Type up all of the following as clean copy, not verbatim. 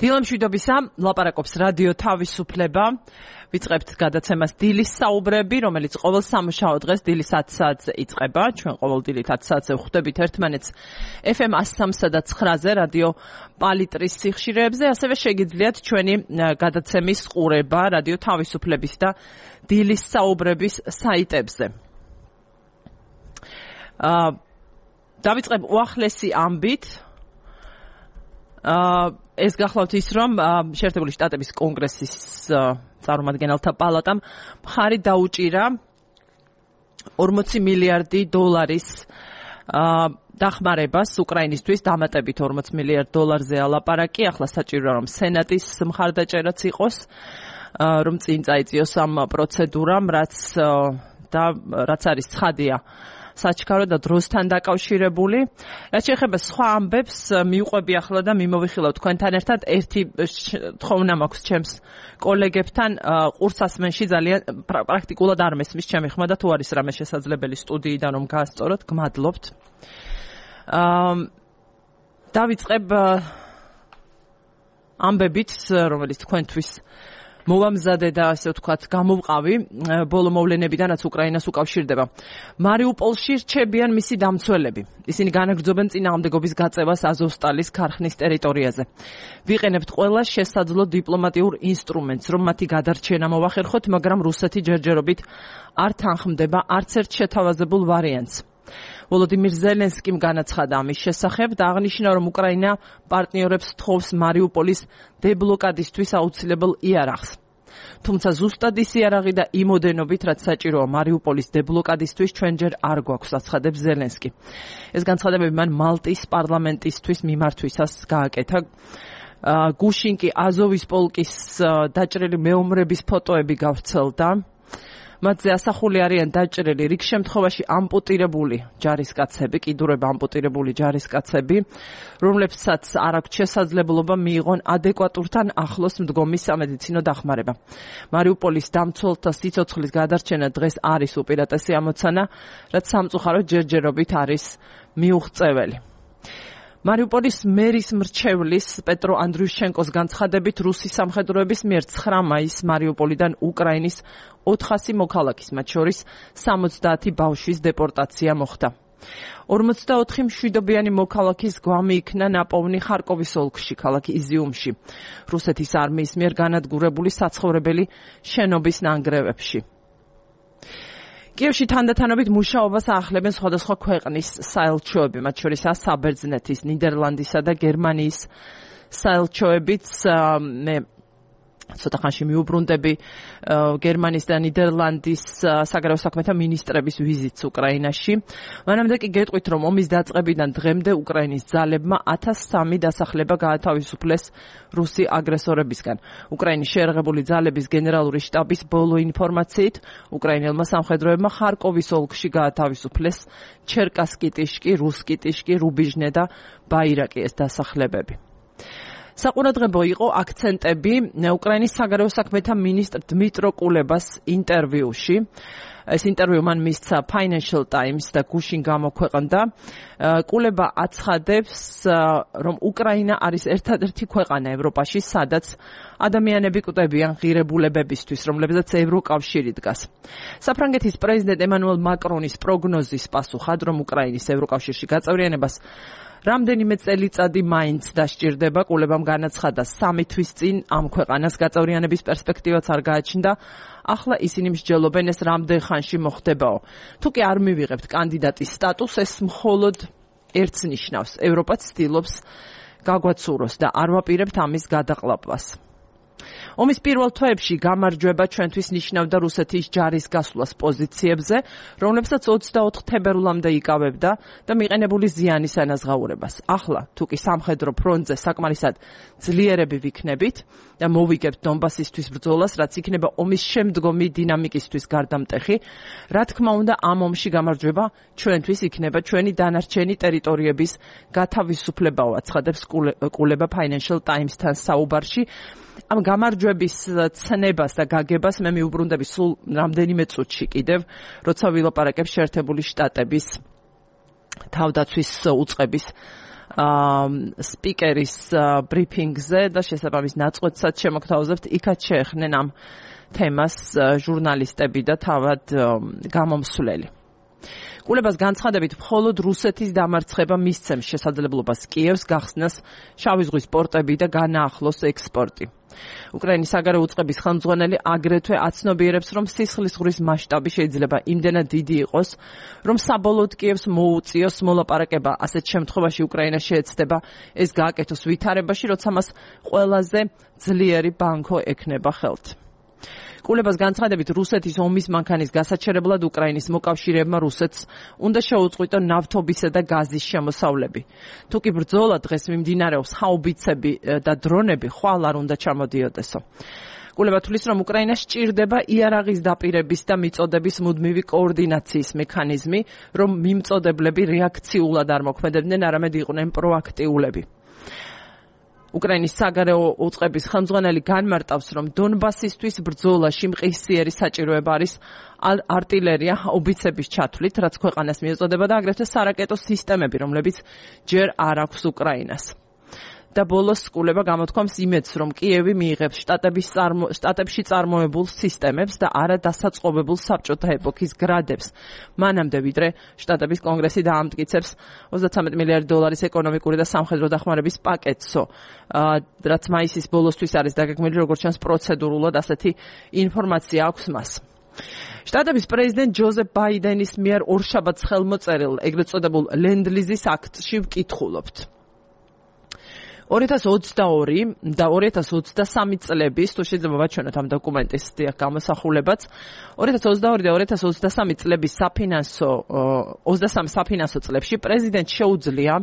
დილამშვიდობისა, ლაპარაკობს რადიო თავისუფლება. ვიწყებთ გადაცემას დილის საუბრები, რომელიც ყოველ სამუშაო დღეს დილის 10 საათზე იწყება. ჩვენ ყოველ დილით 10 საათზე ვხვდებით ერთმანეთს FM 103 და 9-ზე რადიო პალიტრის სიხშირეებზე, ასევე შეგიძლიათ ჩვენი გადაცემის ყურება რადიო თავისუფლების და დილის საუბრების საიტებზე. დავიწყებ უახლესი ამბით. ეს გახლავთ ის, რომ შეერთებული შტატების კონგრესის წარმომადგენელთა პალატამ მხარი დაუჭირა 40 მილიარდი დოლარის დახმარებას უკრაინისთვის, დამატებით 40 მილიარდ დოლარზე ალაპარაკი. ახლა საჭიროა, რომ სენატის მხარდაჭერაც იყოს, რომ წინ წაიწიოს ამ პროცედურამ, რაც არის ცხადია საჩქარო და დროსთან დაკავშირებული. რაც შეეხება სხვა ამბებს, მიუყვები ახლა და მიმოვიხილავ თქვენთან ერთად. ერთი თხოვნა მაქვს ჩემს კოლეგებთან, ყურსასმენში ძალიან პრაქტიკულად არ მესმის ჩემი ხმა და თუ არის რამე შესაძლებელი სტუდიიდან რომ გაასწოროთ, გმადლობთ. დავიწყებ ამბებით, რომელიც თქვენთვის მოვამზადე და ასე ვთქვათ, გამოვყავი ბოლო მოვლენებიდან, რაც უკრაინას უკავშირდება. მარიუპოლში რჩებიან მისი დამცველები. ისინი განაგრძობენ წინააღმდეგობის გაწევას აზოვსტალის ქარხნის ტერიტორიაზე. ვიყენებთ ყველა შესაძლო დიპლომატიურ ინსტრუმენტს, რომ მათი გადარჩენა მოვახერხოთ, მაგრამ რუსეთი ჯერჯერობით არ თანხმდება არც ერთ შეთავაზებულ ვარიანტს. ვოლოდიმირ ზელენსკიმ განაცხადა ამის შესახებ და აღნიშნა, რომ უკრაინა პარტნიორებს თხოვს მარიუპოლის დებლოკადისთვის აუცილებელ იარაღს. თუმცა ზუსტად ის იარაღი და იმოდენობით, რაც საჭიროა მარიუპოლის დებლოკადისთვის, ჩვენ ჯერ არ გვაქვს, აცხადებს ზელენსკი. ეს განცხადებები მან მალტის პარლამენტისთვის მიმართვისას გააკეთა. გუშინ კი აზოვის პოლკის დაჭრილი მეომრების ფოტოები გავრცელდა. მათზე ასახული არიან დაჭრილი რიგ შემთხვევაში ამპუტირებული ჯარისკაცები, კიდურება ამპუტირებული ჯარისკაცები, რომლებსაც არ აქვთ შესაძლებლობა მიიღონ ადეკვატურთან ახლოს მდგომი სამედიცინო დახმარება. მარიუპოლის დამცველთა სიცოცხლის გადარჩენა დღეს არის უპირატესი ამოცანა, რაც სამწუხაროდ ჯერჯერობით არის მიუღწეველი. მარიუპოლის მერის მრჩევლის პეტრო ანდრიუშჩენკოს განცხადებით, რუსი სამხედროების მიერ 9 მაისს მარიუპოლიდან უკრაინის 400 მოქალაქის, მათ შორის 70 ბავშვის დეპორტაცია მოხდა. 44 მშვიდობიანი მოქალაქის გვამი იქნა ნაპოვნი ხარკოვის ოლქში, ქალაქ იზიუმში, რუსეთის არმიის მიერ განადგურებული საცხოვრებელი შენობის ნანგრევებში. კიევში თანდათანობით მუშაობას აახლებენ სხვადასხვა ქვეყნის საელჩოები, მათ შორისაა საბერძნეთის, ნიდერლანდისა და გერმანიის საელჩოებიც. მე ცოტა ხანში მიუბრუნდები გერმანიის და ნიდერლანდის საგარეო საქმეთა მინისტრების ვიზიტს უკრაინაში. მანამდე კი გეტყვით, რომ ომის დაწყებიდან დღემდე უკრაინის ძალებმა 1003 დასახლება გაათავისუფლეს რუსი აგრესორებისგან. უკრაინის შეერაღებული ძალების გენერალური შტაბის ბოლო ინფორმაციით, უკრაინელმა სამხედროებმა ხარკოვის ოლქში გაათავისუფლეს ჩერკასკი-ტიშკი, რუსკი-ტიშკი, რუბიჟნე და ბაირაკი ეს დასახლებები. საყურადღებო იყო აქცენტები უკრაინის საგარეო საქმეთა მინისტრ დმიტრო კულებას ინტერვიუში. ეს ინტერვიუ მან მისცა Financial Times და გუშინ გამოქვეყნდა. კულება აცხადებს, რომ უკრაინა არის ერთადერთი ქვეყანა ევროპაში, სადაც ადამიანები კვდებიან ღირებულებებისთვის, რომლებზეც ევროკავშირი დგას. საფრანგეთის პრეზიდენტ ემანუელ მაკრონის პროგნოზის პასუხად, რომ უკრაინის ევროკავშირში გაწევრიანებას რამდენიმე წელიწადი მაინც დასჭირდება, კულებამ განაცხადა 3 თვის წინ ამ ქვეყანას გაწევრიანების პერსპექტივაც არ გააჩნდა. ახლა ისინი მსჯელობენ, ეს რამდენ ხანში მოხდებაო. თუ კი არ მივიღებთ კანდიდატის სტატუსს, ეს მხოლოდ ერთს ნიშნავს. ევროპა ცდილობს გაგვაცუროს და არ ვაპირებთ ამის გადაყლაპვას. ომის პირველ თვეებში გამარჯვება ჩვენთვის ნიშნავდა რუსეთის ჯარის გასვლას პოზიციებზე, რომლებსაც 24 თებერვლამდე იკავებდა და მიყენებული ზიანის ანაზღაურებას. ახლა, თუ კი სამხედრო ფრონტზე საკმარისად ძლიერები ვიქნებით და მოვიგებთ დონბასისთვის ბრძოლას, რაც იქნება ომის შემდგომი დინამიკისთვის გარდამტეხი, რა თქმა უნდა, ამ ომში გამარჯვება ჩვენთვის იქნება ჩვენი დანარჩენი ტერიტორიების გათავისუფლებაო, აცხადებს კულება Financial Times-თან საუბარში. ამ გამარჯვების ცნებას და გაგებას მე მიუბრუნდები სულ რამდენიმე წუთში კიდევ, როცა ვილაპარაკებ შეერთებული შტატების თავდაცვის უწყების სპიკერის ბრიფინგზე და შესაბამის ნაწყვეტსაც შემოგთავაზებთ. იქაც შეეხნენ ამ თემას ჟურნალისტები და თავად გამომსვლელი. კულებას განცხადებით, მხოლოდ რუსეთის დამარცხება მისცემს შესაძლებლობას კიევს გახსნას შავი ზღვის პორტები და განაახლოს ექსპორტი. უკრაინის საგარეო უწყების ხელმძღვანელი აგრეთვე აცნობიერებს, რომ სისხლის ზღვრის მასშტაბი შეიძლება იმდენად დიდი იყოს, რომ საბოლოოდ კიევს მოუწიოს მოლაპარაკება. ასეთ შემთხვევაში უკრაინა შეეცდება ეს გააკეთოს ვითარებაში, როცა მას ყველაზე ძლიერი ბანკო ექნება ხელთ. კულებას განცხადებით, რუსეთის ომის მანქანის გასაჩერებლად უკრაინის მოკავშირეებმა რუსეთს უნდა შეუწყვიტონ ნავთობისა და გაზის შემოსავლები. თუკი ბრძოლა დღეს მიმდინარეობს, ჰაუბიცები და დრონები ხვალ არ უნდა ჩამოდიოდესო. კულება თulis, რომ უკრაინას სჭირდება იარაღის დაპირების და მიწოდების მუდმივი კოორდინაციის მექანიზმი, რომ მიმწოდებლები რეაქციულად არ მოქმედებდნენ, არამედ იყვნენ პროაქტიულები. უკრაინის საგარეო უწყების ხელმძღვანელი განმარტავს, რომ დონბასისთვის ბრძოლაში მყისიერი საჭიროება არის არტილერია, უბიცების ჩათვლით, რაც ქვეყანას მიეწოდება და აგრეთვე სარაკეტო სისტემები, რომლებიც ჯერ არ აქვს უკრაინას. და ბოლოს კულება გამოთქვამს იმედს, რომ კიევი მიიღებს შტატებში წარმოებულ სისტემებს და არა დასაწყობებულ საბჭოთა ეპოქის გრადებს. მანამდე ვიდრე შტატების კონგრესი დაამტკიცებს $33 მილიარდი ეკონომიკური და სამხედრო დახმარების პაკეტსო, რაც მაისის ბოლოსთვის არის დაგეგმილი, როგორც ჩანს პროცედურულად ასეთი ინფორმაცია აქვს მას. შტატების პრეზიდენტ ჯოზეფ ბაიდენის მიერ ორშაბათს ხელმოწერილ ეგრეთ წოდებულ ლენდ-ლიზის აქტში ვკითხულობთ. 2022 და 2023 წლების, თუ შეიძლება ვაჩვენოთ ამ დოკუმენტის გამოსახულებაც, 2022 და 2023 წლების საფინანსო წლებში პრეზიდენტს შეუძლია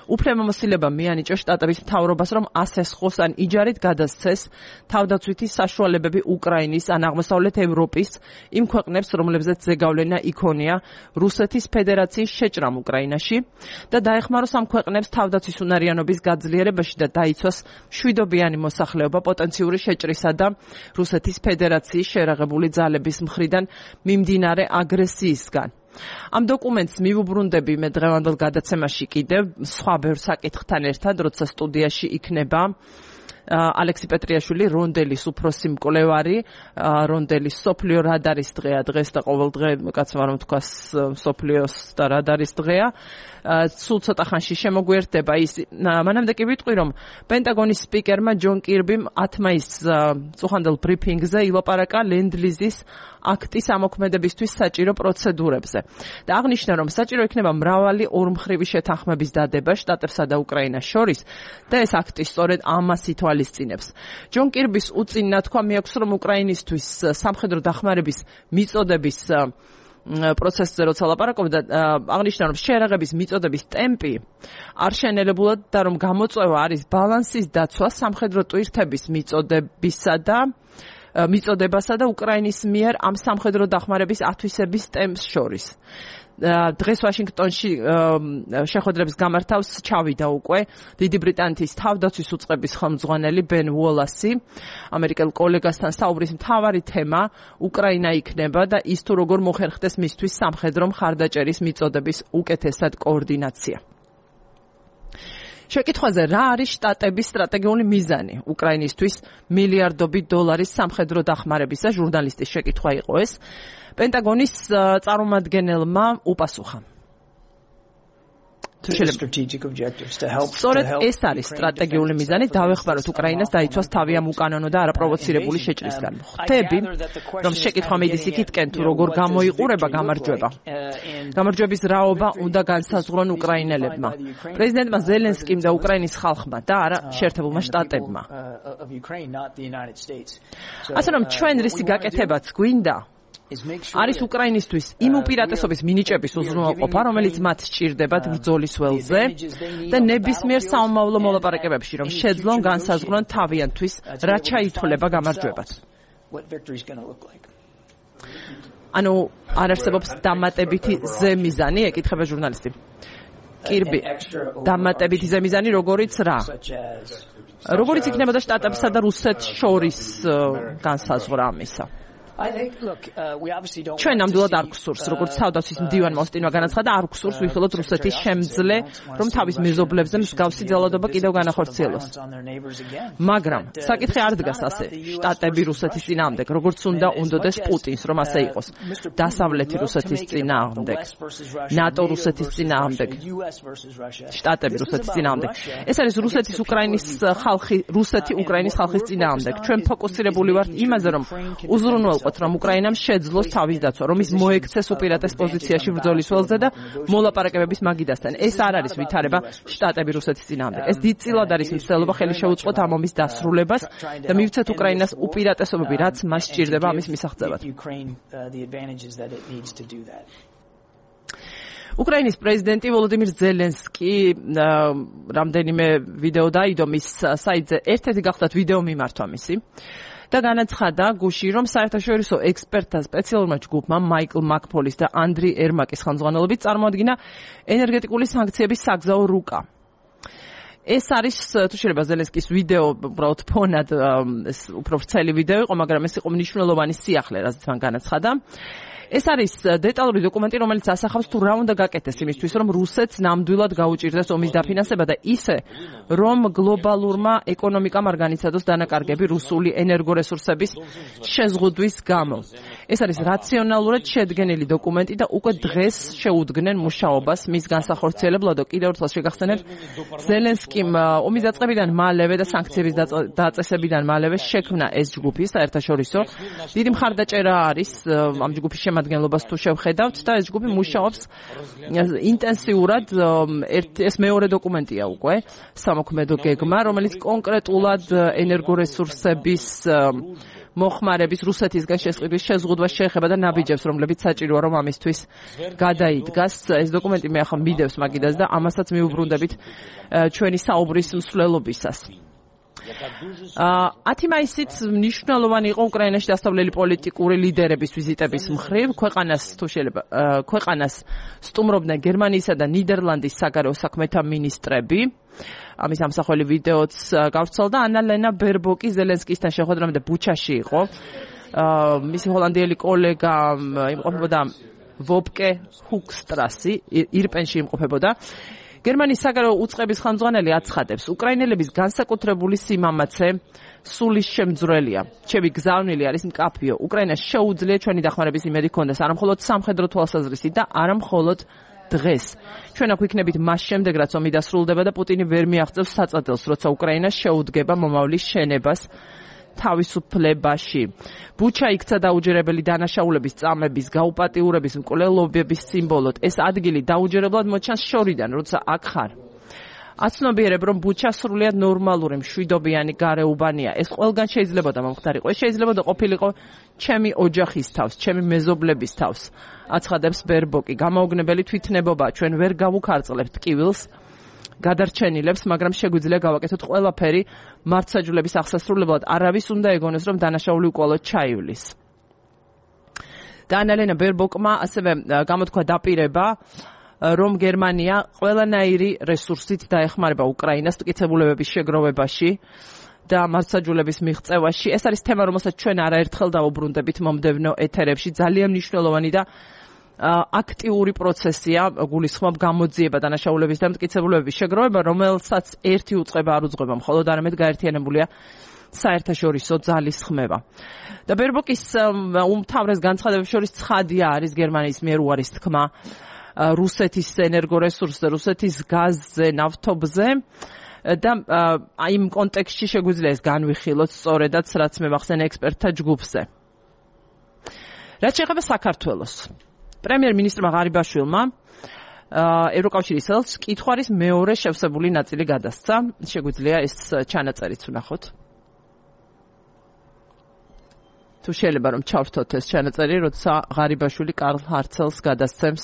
უფლებამოსილება მიანიჭოს შტატების მთავრობას, რომ ასესხოს ან იჯარით გადასცეს თავდაცვითი საშუალებები უკრაინის ან აღმოსავლეთ ევროპის იმ ქვეყნებს, რომლებზეც ზეგავლენა იქონია რუსეთის ფედერაციის შეჭრამ უკრაინაში და დაეხმაროს ამ ქვეყნებს თავდაცვის უნარიანობის გაძლიერებაში და დაიცვას მშვიდობიანი მოსახლეობა პოტენციური შეჭრისა და რუსეთის ფედერაციის შერაღებული ძალების მხრიდან მიმდინარე აგრესიისგან. ამ დოკუმენტს მივუბრუნდები მე დღევანდელ გადაცემაში კიდევ სხვა ბევრ საკითხთან ერთად, როცა სტუდიაში იქნება ალექსი პეტრიაშვილი, რონდელის უფროსი მკვლევარი, რონდელის სოფლიო რადარის დღეა დღეს და ყოველ დღე კაცმა რომ თქვას სოფლიოს და რადარის დღეა. სულ ცოტა ხანში შემოგვიერთდება ის. მანამდე კი ვიტყვი, რომ პენტაგონის სპიკერმა ჯონ კირბიმ 10 მაისს წუხანდელ ბრიფინგზე ილაპარაკა ლენდ-ლიზის აქტის ამოქმედებისთვის საჭირო პროცედურებზე და აღნიშნა, რომ საჭირო იქნება მრავალი ორმხრივი შეთანხმების დადება შტატებსა და უკრაინას შორის და ეს აქტი სწორედ ამას ითვალისწინებს. ჯონ კირბის უწინ ნათქვა მიაქვს, რომ უკრაინისთვის სამხედრო დახმარების მიწოდების პროცესზე როცა ლაპარაკობდა, აღნიშნა, რომ შერაღების მიწოდების ტემპი არ შენელებულად და რომ გამოწვევა არის ბალანსის დაცვა სამხედრო ტვირთების მიწოდებასა და უკრაინის მიერ ამ სამხედრო დახმარების ათვისების ტემპს შორის. დღეს ვაშინგტონში შეხვედრებს გამართავს ჩავიდა უკვე დიდი ბრიტანეთის თავდაცვის უწყების ხელმძღვანელი ბენ უოლასი. ამერიკელ კოლეგასთან საუბრის მთავარი თემა უკრაინა იქნება და ის თუ როგორ მოხერხდეს მისთვის სამხედრო მხარდაჭერის მიწოდების უკეთესად კოორდინაცია. შეკითხვაზე რა არის შტატების სტრატეგიული მიზანი უკრაინისთვის მილიარდობით დოლარის სამხედრო დახმარებისა, ჟურნალისტის შეკითხვა იყო ეს. პენტაგონის წარმომადგენელმა უპასუხა. სწორედ ეს არის სტრატეგიული მიზანი, დავეხმაროთ უკრაინას დაიცვას თავი ამ უკანონო და არაპროვოცირებული შეჭრისგან. ხვდები, რომ შეკითხვა მიდის იქითკენ, თუ როგორ გამოიყურება გამარჯვება. გამარჯვების რაობა უნდა განსაზღვრონ უკრაინელებმა, პრეზიდენტმა ზელენსკიმ და უკრაინის ხალხმა და არა შეერთებულმა შტატებმა. ასე რომ ჩვენ რისი გაკეთებაც გვინდა, არის უკრაინისთვის იმ უპირატესობის მინიჭების უზრუნველყოფა, რომელიც მათ სჭირდებათ ბრძოლის ველზე და ნებისმიერ საომავლო მოლაპარაკებებში, რომ შეძლონ განსაზღვრონ თავიანთვის, რა ჩაითვლება გამარჯვებად. ანუ არ არსებობს დამატებითი ზემიზანი, ეკითხება ჟურნალისტი. კირბი, დამატებითი ზემიზანი როგორიც რა? როგორიც იქნებოდა შტატებსა და რუსეთს შორის განსაზღვრა ამისა. ჩვენ ნამდვილად არ გვსურს, როგორც თავდაცვის მდივანმა ოსტინმა განაცხადა, არ გვსურს ვიხილოთ რუსეთის შემძლე, რომ თავის მეზობლებზე მსგავსი ძალადობა კიდევ განახორციელოს. მაგრამ საკითხი არ დგას ასე. შტატები რუსეთის წინააღმდეგ, როგორც უნდა უნდოდეს პუტინს, რომ ასე იყოს. დასავლეთი რუსეთის წინააღმდეგ, ნატო რუსეთის წინააღმდეგ, შტატები რუსეთის წინააღმდეგ. ეს არის რუსეთის უკრაინის ხალხის წინააღმდეგ. ჩვენ ფოკუსირებული ვართ იმაზე, რომ უზრუნველყოთ, რომ უკრაინამ შეძლოს თავის დაცვა, რომ ის მოექცეს უპირატეს პოზიციაში ბრძოლის ველზე და მოლაპარაკებების მაგიდასთან. ეს არ არის ვითარება შტატები რუსეთის წინააღმდეგ. ეს დიდწილად არის მცდელობა ხელი შეუწყოთ ამ ომის დასრულებას და მივცეთ უკრაინას უპირატესობები, რაც მას სჭირდება ამის მისაღწევად. უკრაინის პრეზიდენტი ვოლოდიმირ ზელენსკი რამდენიმე ვიდეო დაიდო მის საიტზე, ერთ-ერთი გახლდათ ვიდეო მიმართვა მისი. და განაცხადა გუში, რომ საერთაშორისო ექსპერტთა სპეციალურმა ჯგუფმა მაიკლ მაკფოლის და ანდრი ერმაკის ხელმძღვანელობით წარმოადგინა ენერგეტიკული სანქციების საგზაო რუკა. ეს არის თუ შეიძლება ზელენსკის ვიდეო უბრალოდ ფონად უფრო ვრცელი ვიდეო იყო, მაგრამ ეს იყო მნიშვნელოვანი სიახლე, რაც მან განაცხადა. ეს არის დეტალური დოკუმენტი, რომელიც ასახავს თუ რა უნდა გაკეთდეს იმისთვის, რომ რუსეთს ნამდვილად გაუჭირდეს ომის დაფინანსება და ისე, რომ გლობალურმა ეკონომიკამ არ განიცადოს დანაკარგები რუსული ენერგორესურსების შეზღუდვის გამო. ეს არის რაციონალურად შედგენილი დოკუმენტი და უკვე დღეს შეუდგნენ მუშაობას მის განსახორციელებლად. კიდევ ერთხელ შეგახსენებთ, ზელენსკიმ ომის დაწყებიდან მალევე და სანქციების დაწესებიდან მალევე შექმნა ეს ჯგუფი საერთაშორისო. დიდი მხარდაჭერა არის ამ ჯგუფის შემადგენლობას თუ შევხედავთ და ეს ჯგუფი მუშაობს ინტენსიურად. ეს მეორე დოკუმენტია უკვე სამოქმედო გეგმა, რომელიც კონკრეტულად ენერგორესურსების მოხმარების რუსეთისგან შეზღუდვას შეეხება და ნაბიჯებს, რომლებიც საჭიროა რომ ამისთვის გადაიდგას. ეს დოკუმენტი მე ახლა მიდევს მაგიდას და ამასაც მიუბრუნდებით ჩვენი საუბრის მსვლელობისას. 10 მაისით მნიშვნელოვანი იყო უკრაინაში დასავლელი პოლიტიკური ლიდერების ვიზიტების მხრივ. ქვეყანას სტუმრობდნენ გერმანიისა და ნიდერლანდის საგარეო საქმეთა მინისტრები. ამის ამსახველი ვიდეოც გავრცელდა. ანა ლენა ბერბოკი ზელენსკისთან შეხვედრამდე ბუჩაში იყო. მისი ჰოლანდიელი კოლეგა იმყოფებოდა ვოპკე ჰუქსტრასი, ირპენში იმყოფებოდა. გერმანიის საგარეო უწყების ხელმძღვანელი აცხადებს, უკრაინელების განსაკუთრებული სიმამაცე სულის შემძვრელია. ჩემი გზავნილი არის მკაფიო. უკრაინას შეუძლია ჩვენი დახმარების იმედი ჰქონდეს, არა მხოლოდ სამხედრო თვალსაზრისით და არა მხოლოდ დღეს. ჩვენ აქ ვიქნებით მას შემდეგ, რაც ომი დასრულდება და პუტინი ვერ მიაღწევს საწადელს, როცა უკრაინა შეუდგება მომავლის შენებას თავისუფლებაში. ბუჩა იქცა დაუჯერებელი დანაშაულების წამების, გაუპატიურების, მკვლელობების სიმბოლოდ. ეს ადგილი დაუჯერებლად მოჩანს შორიდან, როცა აქ ხარ. აცნობიერებ, რომ ბუჩა სრულიად ნორმალური მშვიდობიანი გარეუბანია. ეს ყველგან შეიძლებოდა მომხდარიყო. ეს შეიძლება ყოფილიყო ჩემი ოჯახის თავს, ჩემი მეზობლების თავს. აცხადებს ბერბოკი. გამაოგნებელი თვითნებობა, ჩვენ ვერ გავუქარწყლებთ ტკივილს გადარჩენილებს, მაგრამ შეგვიძლია გავაკეთოთ ყველაფერი მართლმსაჯულების აღსასრულებლად. არავის უნდა ეგონოს, რომ დანაშაული უკვალოდ ჩაივლის. და ანა ლენა ბერბოკმა ასევე გამოთქვა დაპირება, რომ გერმანია ყველანაირი რესურსით დაეხმარება უკრაინას მტკიცებულებების შეგროვებაში და მართლმსაჯულების მიღწევაში. ეს არის თემა, რომელსაც ჩვენ არაერთხელ დავუბრუნდებით მომდევნო ეთერებში. ძალიან მნიშვნელოვანი და აქტიური პროცესია, გულისხმობ გამოძიება დანაშაულების და მტკიცებულებების შეგროვება, რომელსაც ერთი უწყება არ უძღვება, მხოლოდ არამედ გაერთიანებულია საერთაშორისო ძალის ხმება. და ბერბოკის უმთავრეს განცხადებებს შორის ცხადია არის გერმანიის მიერ უარის თქმა რუსეთის ენერგორესურსზე, რუსეთის გაზზე, ნავთობზე და იმ კონტექსტში შეგვიძლია ეს განვიხილოთ სწორედაც, რაც მე მახსენე ექსპერტთა ჯგუფზე. რაც შეეხება საქართველოს, პრემიერ-მინისტრმა ღარიბაშვილმა ევროკავშირის ელჩს კითხვარის მეორე შევსებული ნაწილი გადასცა. შეგვიძლია ეს ჩანაწერიც ვნახოთ. თუ შეიძლება რომ ჩავრთოთ ეს ჩანაწერი, როცა ღარიბაშვილი კარლ ჰარცელს გადასცემს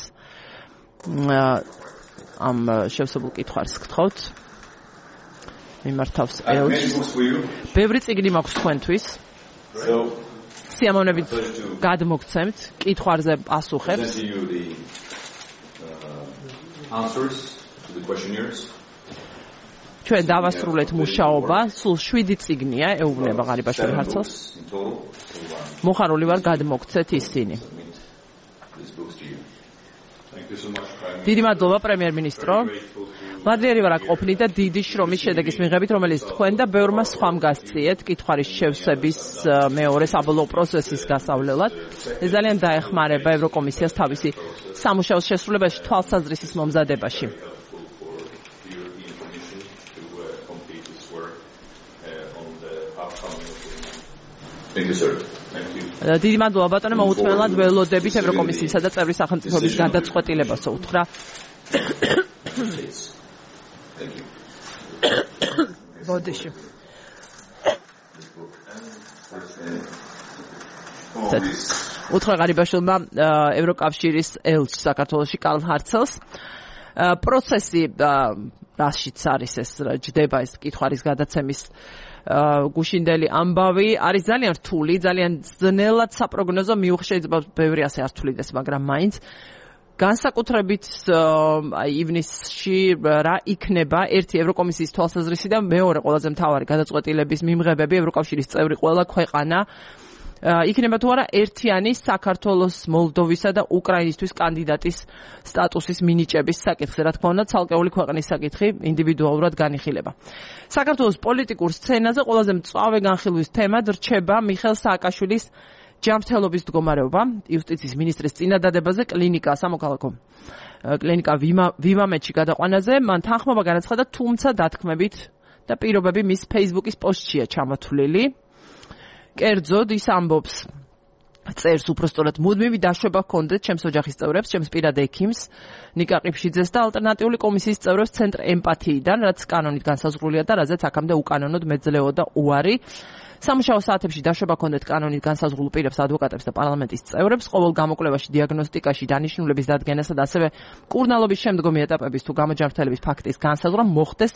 ამ შევსებულ კითხვარს გთხოვთ. მიმართავს ელჩს. ბევრი წიგნი მაქვს თქვენთვის. სიამოვნებით გადმოგცემთ კითხვარზე პასუხებს. ჩვენ დავასრულეთ მუშაობა, სულ 7 წიგნია ეუბნება ღარიბაშვილი ჰარცელს. მოხარული ვარ გადმოგცეთ ისინი. დიდი მადლობა პრემიერ-მინისტრო. მადლიერი ვარ აქ ყოფნით და დიდი შრომის შედეგის მიღებით, რომელიც თქვენ და ბევრმა სხვამ გასწიეთ კითხვის შევსების მეორე საბოლოო პროცესის გასავლელად. ეს ძალიან დაეხმარება ევროკომისიას თავისი სამუშაოს შესრულებაში, თვალსაზრისის მომზადებაში. დიდი მადლობა ბატონო, მოუთმენლად ველოდებით ევროკომისიისა და წევრი სახელმწიფოების გადაწყვეტილებასო უთხრა. ბოდიში. უთხრა ღარიბაშვილმა ევროკავშირის ელჩს საქართველოში კარლ ჰარცელს. პროცესი რაშიც არის ეს ჯდება ეს კითხვის გადაცემის გუშინდელი ამბავი არის ძალიან რთული, ძალიან ძნელად საპროგნოზო მიუხედავად შეიძლება ბევრი ასე არ თulides, მაგრამ მაინც განსაკუთრებით ივნისში რა იქნება ერთი ევროკომისიის თვალსაზრისით და მეორე ყველაზე მთავარი გადაწყვეტილების მიმღებები ევროკავშირის წევრი ყველა ქვეყანა იქნება თუ არა ერთიანი საქართველოს, მოლდოვისა და უკრაინისთვის კანდიდატის სტატუსის მინიჭების საკითხი. რა თქმა უნდა, ცალკეული ქვეყნის საკითხი ინდივიდუალურად განიხილება. საქართველოს პოლიტიკურ სცენაზე ყველაზე მწვავე განხილვის თემად რჩება მიხეილ სააკაშვილის ჯანმრთელობის მდგომარეობა. იუსტიციის მინისტრის წინადადებაზე სამოქალაქო კლინიკა ვიმამეთში გადაყვანაზე მან თანხმობა განაცხადა, თუმცა დათქმებით და პირობები მის Facebook-ის პოსტშია ჩამოთვლილი. კერძოდ ის ამბობს, წერს უпростоრად მუდმივი დაშვება ჰქონდეთ ჩემს ოჯახის წევრებს, ჩემს პირად ექიმს ნიკა ყიფშიძეს და ალტერნატიული კომისიის წევრებს ცენტრ ემპათიიდან, რაც კანონით განსაზღვრულია და რაზეც აქამდე უკანონოდ მეძლეოდა უარი. სამუშაო საათებში დაშვება ჰქონდეთ კანონით განსაზღვრულ პირებს, ადვოკატებს და პარლამენტის წევრებს, ყოველ გამოკვლევაში, დიაგნოსტიკაში, დანიშნულების დადგენასა და ასევე მკურნალობის შემდგომი ეტაპების თუ გამოჯანმრთელების ფაქტის განსაზღვრა მოხდეს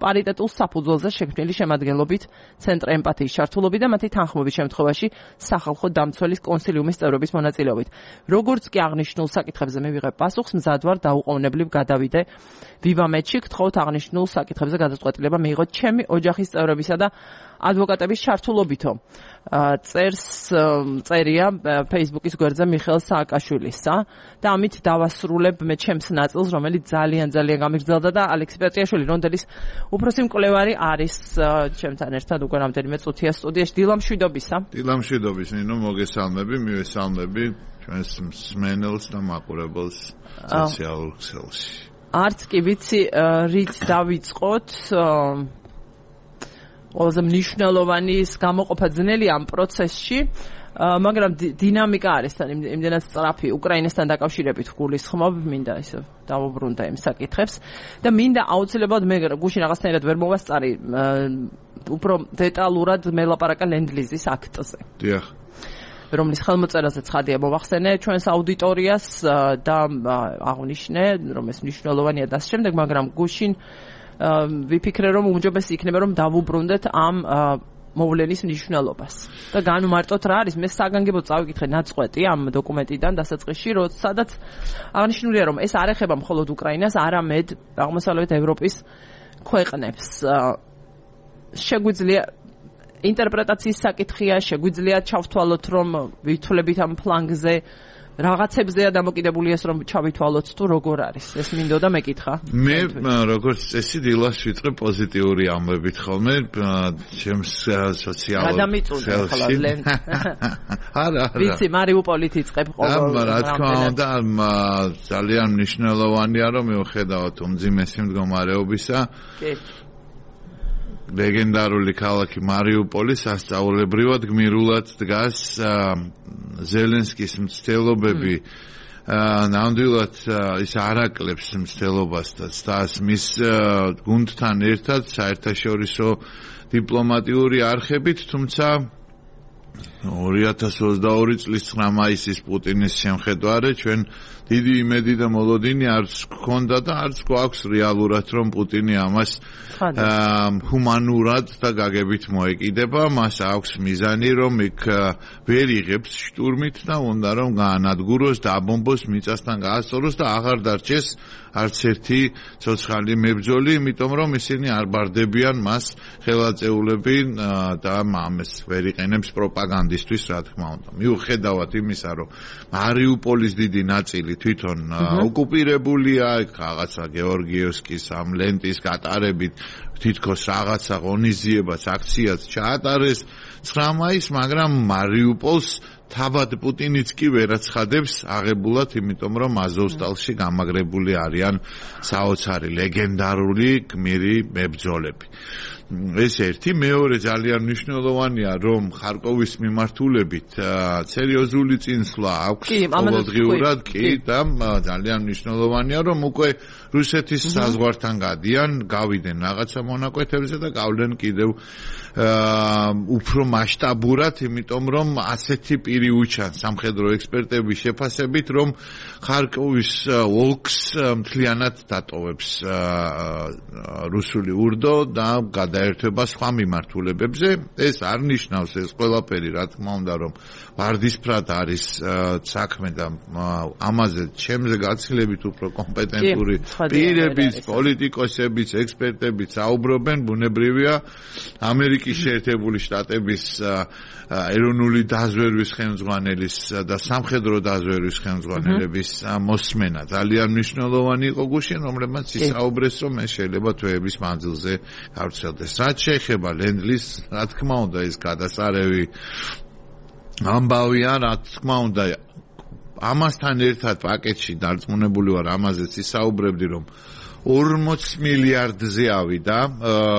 პარიტეტულ საფუძველზე შექმნილი შემადგენლობით ცენტრ ემპათიის ჩართულობით და მათი თანხმობის შემთხვევაში სახალხო დამცველის კონსილიუმის წევრების მონაწილეობით. როგორც კი აღნიშნულ საკითხებზე მივიღებ პასუხს, მზად ვარ დაუყოვნებლივ გადავიდე ვივამეთში, გთხოვთ აღნიშნულ საკითხებზე გადაწყვეტილება მიიღოთ ჩემი ოჯახის წევრებისა და ადვოკატების ჩართულობითო. წერია Facebook-ის გვერდზე მიხეილ სააკაშვილისა და ამით დავასრულებ მე ჩემს ნაწილს, რომელიც ძალიან გამიგრძელდა და ალექსი პეტრიაშვილი რონდელის უფროსი მკვლევარი არის ჩემთან ერთად უკვე რამდენიმე წუთია სტუდიაში. დილამშვიდობისა. დილამშვიდობის ნინო, მოგესალმები, მივესალმები ჩვენს მსმენელს და მაყურებელს სოციალურ ქსელში. არც კი ვიცი რით დავიწყოთ. ყველაზე მნიშვნელოვანი გამოყოფა ძნელი ამ პროცესში, მაგრამ დინამიკა არის თან იმდენად სწრაფი უკრაინასთან დაკავშირებით გულისხმობ, მინდა ისე დავუბრუნდა იმ საკითხებს და მინდა აუცილებლად მე გუშინ რაღაცნაირად ვერ მოვასწარი უფრო დეტალურად მელაპარაკა ლენდლიზის აქტზე. დიახ. რომლის ხელმოწერაზე ცხადია მოვახსენე ჩვენს აუდიტორიას და აღნიშნე, რომ ეს მნიშვნელოვანია და ამ შემდეგ, მაგრამ გუშინ ვიფიქრე, რომ უმჯობესი იქნება, რომ დავუბრუნდეთ ამ მოვლენის მნიშვნელობას. და განვმარტოთ რა არის, მე საგანგებოდ წავიკითხე ნაწყვეტი ამ დოკუმენტიდან დასაწყისში, სადაც აღნიშნულია, რომ ეს არ ეხება მხოლოდ უკრაინას, არამედ აღმოსავლეთ ევროპის ქვეყნებს. შეგვიძლია ინტერპრეტაციის საკითხია, შეგვიძლია ჩავთვალოთ, რომ ვითვლებით ამ ფლანგზე რაღაცებზეა დამოკიდებული ეს, რომ ჩავითვალოთ თუ როგორ არის. ეს მინდოდა მეკითხა. მე როგორც წესი დილას ვიწყებ პოზიტიური ამბებით ხოლმე ჩემს სოციალურ ქსელში. არა. ვიცი, მარიუპოლით იწყებ ყოველ. რა თქმა უნდა, ძალიან მნიშვნელოვანია, რომ მიუხედავად უმძიმესი მდგომარეობისა, კი. ლეგენდარული ქალაქი მარიუპოლი სასწაულებრივად გმირულად დგას ზელენსკის მცდელობები ნამდვილად ის არაკლებს მცდელობასთან და მის გუნდთან ერთად საერთაშორისო დიპლომატიური არხებით, თუმცა 2022 წლის 9 მაისის პუტინის შემხედვარე ჩვენ დიდი იმედი და მოლოდინი არც გქონდა და არც გვაქვს რეალურად რომ პუტინი ამას ჰუმანურად და გაგებით მოეკიდება, მას აქვს მიზანი რომ იქ ვერ იღებს შტურმით და უნდა რომ გაანადგუროს, დააბომბოს, მიწასთან გაასწოროს და აღარ დარჩეს არც ერთი ცოცხალი მებრძოლი, იმიტომ რომ ისინი არ ბარდებიან მას ხელაწეულები და ამას ვერ იყენებს პროპაგანდისთვის, რა თქმა უნდა. მიუხედავად იმისა, რომ მარიუპოლის დიდი ნაწილი თვითონ ოკუპირებულია, რაღაცა გეორგიევსკის ამ ლენტის გატარებით თითქოს რაღაცა ღონისძიებას, აქციაც ჩაატარეს 9 მაისს, მაგრამ მარიუპოლს თავად პუტინიც კი ვერაცხადებს აღებულად, იმიტომ რომ აზოვსტალში გამაგრებული არიან საოცარი ლეგენდარული გმირი მებრძოლები. ეს ერთი, მეორე ძალიან მნიშვნელოვანია, რომ ხარკოვის მიმართულებით სერიოზული წინსვლა აქვს ყოველდღიურად კი და ძალიან მნიშვნელოვანია, რომ უკვე რუსეთის საზღვართან გადიან, გავიდნენ რაღაცა მონაკვეთებზე და გავლენ კიდევ უფრო მასშტაბურად, იმიტომ რომ ასეთი პირი უჩან სამხედრო ექსპერტების შეფასებით, რომ ხარკოვის ოლქს მთლიანად დატოვებს რუსული ურდო და გადაერთება სხვა მიმართულებებზე. ეს არ ნიშნავს ეს ყველაფერი, რა თქმა უნდა, რომ ვარდისფრად არის საქმე და ამაზე ჩემზე გაცილებით უფრო კომპეტენტური პირებიც, პოლიტიკოსებიც, ექსპერტებიც საუბრობენ, ბუნებრივია ამერიკის შეერთებული შტატების ეროვნული დაზვერვის ხელმძღვანელის და სამხედრო დაზვერვის ხელმძღვანელების მოსმენა ძალიან მნიშვნელოვანი იყო გუშინ, რომლებმაც ისაუბრეს, რომ ეს შეიძლება თვეების მანძილზე გავრცელდეს. რაც შეეხება ლენდ-ლიზს, რა თქმა უნდა, ეს გადასარევი ამბავია, რა თქმა უნდა, ამასთან ერთად პაკეტში დარწმუნებული ვარ, ამაზეც ისაუბრებდი, რომ 40 მილიარდზე ავიდა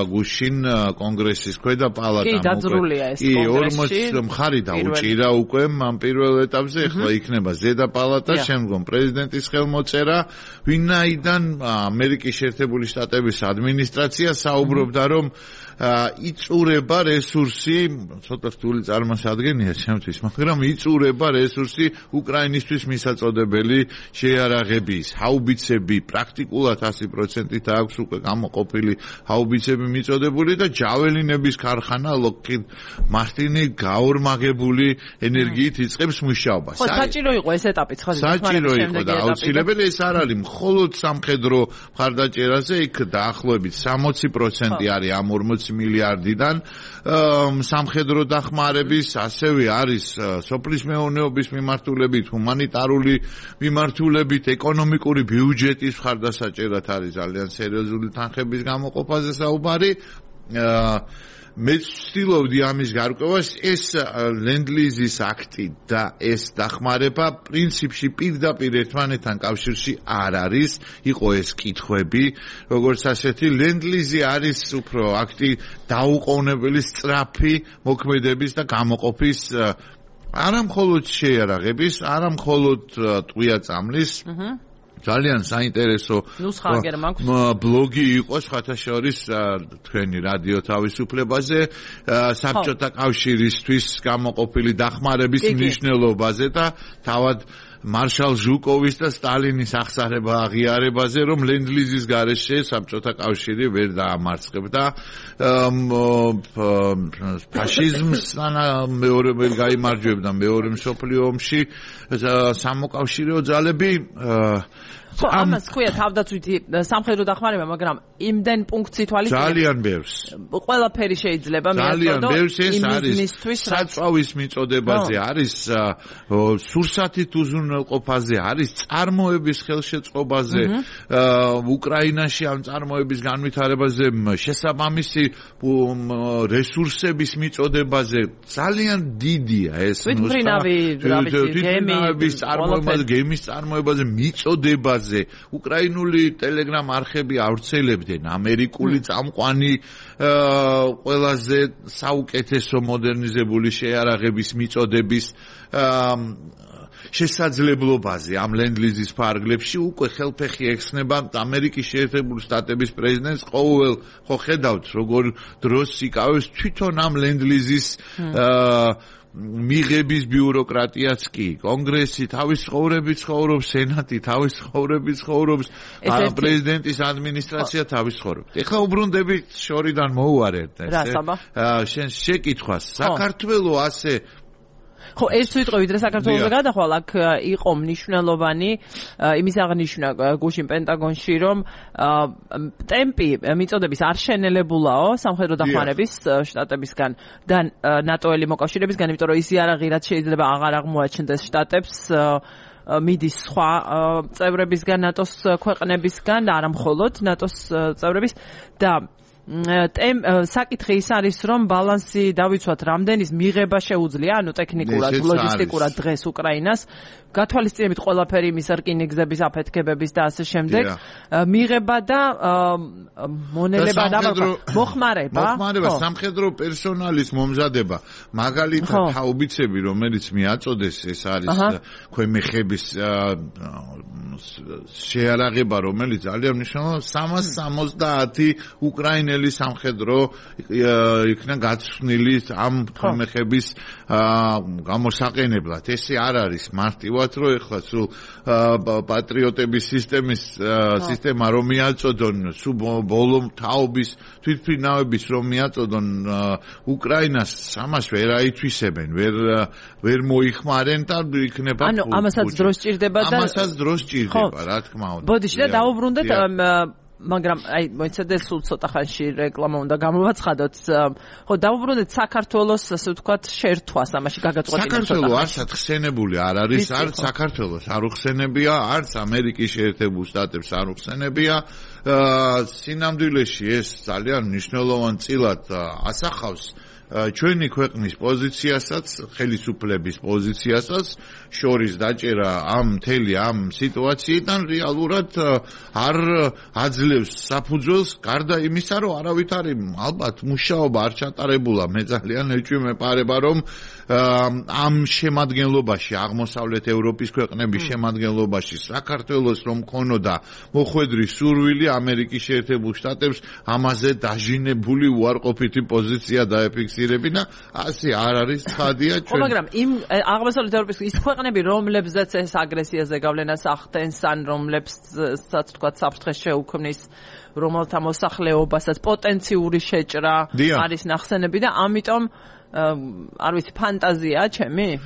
გუშინ კონგრესის ქვედა პალატამ. კი, დაძრულია ეს კონგრესში. 40 მხარი დაუჭირა უკვე ამ პირველ ეტაპზე, ახლა იქნება ზედა პალატა, შემდგომ პრეზიდენტის ხელმოწერა, ვინაიდან ამერიკის შეერთებული შტატების ადმინისტრაცია საუბრობდა, რომ იწურება რესურსი, ცოტა რთული წარმოსადგენია ჩემთვის, მაგრამ იწურება რესურსი უკრაინისთვის მისაწოდებელი შეიარაღების, ჰაუბიცები, პრაქტიკულად 100%-ით აქვს უკვე გამოყოფილი ჰაუბიცები მიწოდებული და ჯაველინების ქარხანა Lockheed Martin-ი გაორმაგებული ენერგიით იწყებს მუშაობას. ხო, საჭირო იყო ეს ეტაპი, ხო, საჭირო იყო და აუცილებელი ეს არ არის მხოლოდ სამხედრო მხარდაჭერაზე, იქ დაახლოებით 60% არის ამ 40 მილიარდიდან სამხედრო დახმარების, ასევე არის სოფლის მეურნეობის მიმართულებით, ჰუმანიტარული მიმართულებით, ეკონომიკური ბიუჯეტის მხარდასაჭერად არის ძალიან სერიოზული თანხების გამოყოფაზე საუბარი. მე ვცდილობდი ამის გარკვევას, ეს ლენდ-ლიზის აქტი და ეს დახმარება პრინციპში პირდაპირ ერთმანეთთან კავშირში არ არის, იყო ეს კითხვები, როგორც ასეთი ლენდ-ლიზი არის უფრო აქტი დაუყოვნებელი სწრაფი მოქმედების და გამოყოფის არა მხოლოდ შეიარაღების, არა მხოლოდ ტყვია წამლის, ძალიან საინტერესო ბლოგი იყო სხვათა შორის თქვენი რადიო თავისუფლებაზე, საბჭოთა კავშირისთვის გამოყოფილი დახმარების მნიშვნელობაზე და თავად მარშალ ჟუკოვის და სტალინის აღსარება აღიარებაზე, რომ ლენდ-ლიზის გარეშე საბჭოთა კავშირი ვერ დაამარცხებდა ფაშიზმსთან, მეორე ვერ გაიმარჯვებდა მეორე მსოფლიო ომში სამოკავშირეო ძალები. ხო, ამას ხويا თავდაცვითი სამხედრო დახმარება, მაგრამ იმდენ პუნქტს ითვალისწინებს ძალიან ბევრს. ყველაფერი შეიძლება ძალიან ბევრს ეს არის. საწვავის მიწოდებაზე არის, სურსათით უზრუნველყოფაზე არის, წარმოების ხელშეწყობაზე, უკრაინაში ამ წარმოების განვითარებაზე, შესაბამისი რესურსების მიწოდებაზე ძალიან დიდია ეს ნუსხა. თვითმფრინავის წარმოებაზე, გემის წარმოებაზე, მიწოდებაზე უკრაინული ტელეგრამ არხები ავრცელებდნენ ამერიკული წამყვანი ყველაზე საუკეთესო მოდერნიზებული შეიარაღების მიწოდების შესაძლებლობაზე ამ ლენდ-ლიზის ფარგლებში უკვე ხელფეხი ექცნება ამერიკის შეერთებული შტატების პრეზიდენტს. ყოველ ხო ხედავთ როგორ დროს იკავებს თვითონ ამ ლენდ-ლიზის მიღების ბიუროკრატიაც კი, კონგრესი თავის ცხოვრებით ცხოვრობს, სენატი თავის ცხოვრებით ცხოვრობს, პრეზიდენტის ადმინისტრაცია თავის ცხოვრებით. ეხლა უბრუნდები შორიდან მოუარეთ ეს. შენ შეკითხვას, საქართველოს ასე ხო, ერთ ვიტყვი ვიდრე საქართველოს გადახვალ, აქ იყო მნიშვნელოვანი იმის აღნიშვნა გუშინ პენტაგონში, რომ ტემპი მიწოდების არ შენელებულაო სამხედრო დახმარების შტატებისგან და ნატოელი მოკავშირეებისგან, იმიტომ რომ ის იარაღი რაც შეიძლება აღარ აღმოაჩნდეს შტატებს მიდის სხვა წევრებისგან, ნატოს ქვეყნებისგან და არა მხოლოდ ნატოს წევრების და საკითხი ის არის, რომ ბალანსი დავიცვათ, რამდენის მიღება შეუძლია, ანუ ტექნიკურად, ლოჯისტიკურად დღეს უკრაინას, გათვალისწინებით ყველაფერი იმის რკინიგზების აფეთქებების და ასე შემდეგ, მიღება და მონელება და მოხმარება, სამხედრო პერსონალის მომზადება, მაგალითად ჰაუბიცები, რომელიც მიაწოდეს, ეს არის ქვემეხების შეარაღება, რომელიც ძალიან მნიშვნელოვანია, 370 უკრაინელი სამხედრო იქნა გაცვნილი ამ ქვემეხების გამოსაყენებლად. ესე არ არის მარტივად, რომ ეხლა სულ პატრიოტების სისტემა რომ მიაწოდონ, სულ ბოლო თაობის თვითმფრინავების რომ მიაწოდონ უკრაინას, ამას ვერ აითვისებენ, ვერ მოიხმარენ და იქნება. ანუ ამასაც დრო სჭირდება და ამასაც დრო სჭირდება, რა თქმა უნდა. ბოდიში და დაუბრუნდეთ მაგრამ აი მოიცადე სულ ცოტა ხანში რეკლამა უნდა გამოვაცხადოთ. ხო, დავუბრუნდეთ საქართველოს, ასე ვთქვათ, შერთვას ამაში გაგაწყვეტინეთ. საქართველოს არცად ხსენებული არ არის, არც საქართველოს არ უხსენებია, არც ამერიკის შეერთებულ შტატებს არ უხსენებია. სინამდვილეში ეს ძალიან მნიშვნელოვან წილად ასახავს ჩვენი ქვეყნის პოზიციასაც, ხელისუფლების პოზიციასაც, შორის დაჭერა მთელი ამ სიტუაციიდან რეალურად არ აძლევს საფუძველს, გარდა იმისა, რომ არავით არის ალბათ მუშაობა არ ჩატარებულა. მე ძალიან ეჭვმეპარება, რომ ამ შემადგენლობაში, აღმოსავლეთ ევროპის ქვეყნების შემადგენლობაში საქართველოს რომ ქონოდა მოხვედრი სურვილი ამერიკის შეერთებულ შტატებს ამაზე დაჟინებული უარყოფითი პოზიცია დაეფიქსირებინა, ასე არ არის ცხადია ჩვენ. მაგრამ იმ აღმოსავლეთ ევროპის ის ქვეყნები, რომლებზეც ეს აგრესიაზე გავლენას ახდენს, ან რომლებსაც თქვა საფრთხე შეუქმნის, რომელთა მოსახლეობასაც პოტენციური შეჭრა არის ნახსენები და ამიტომ არ ვიცი, ფანტაზია ჩემი?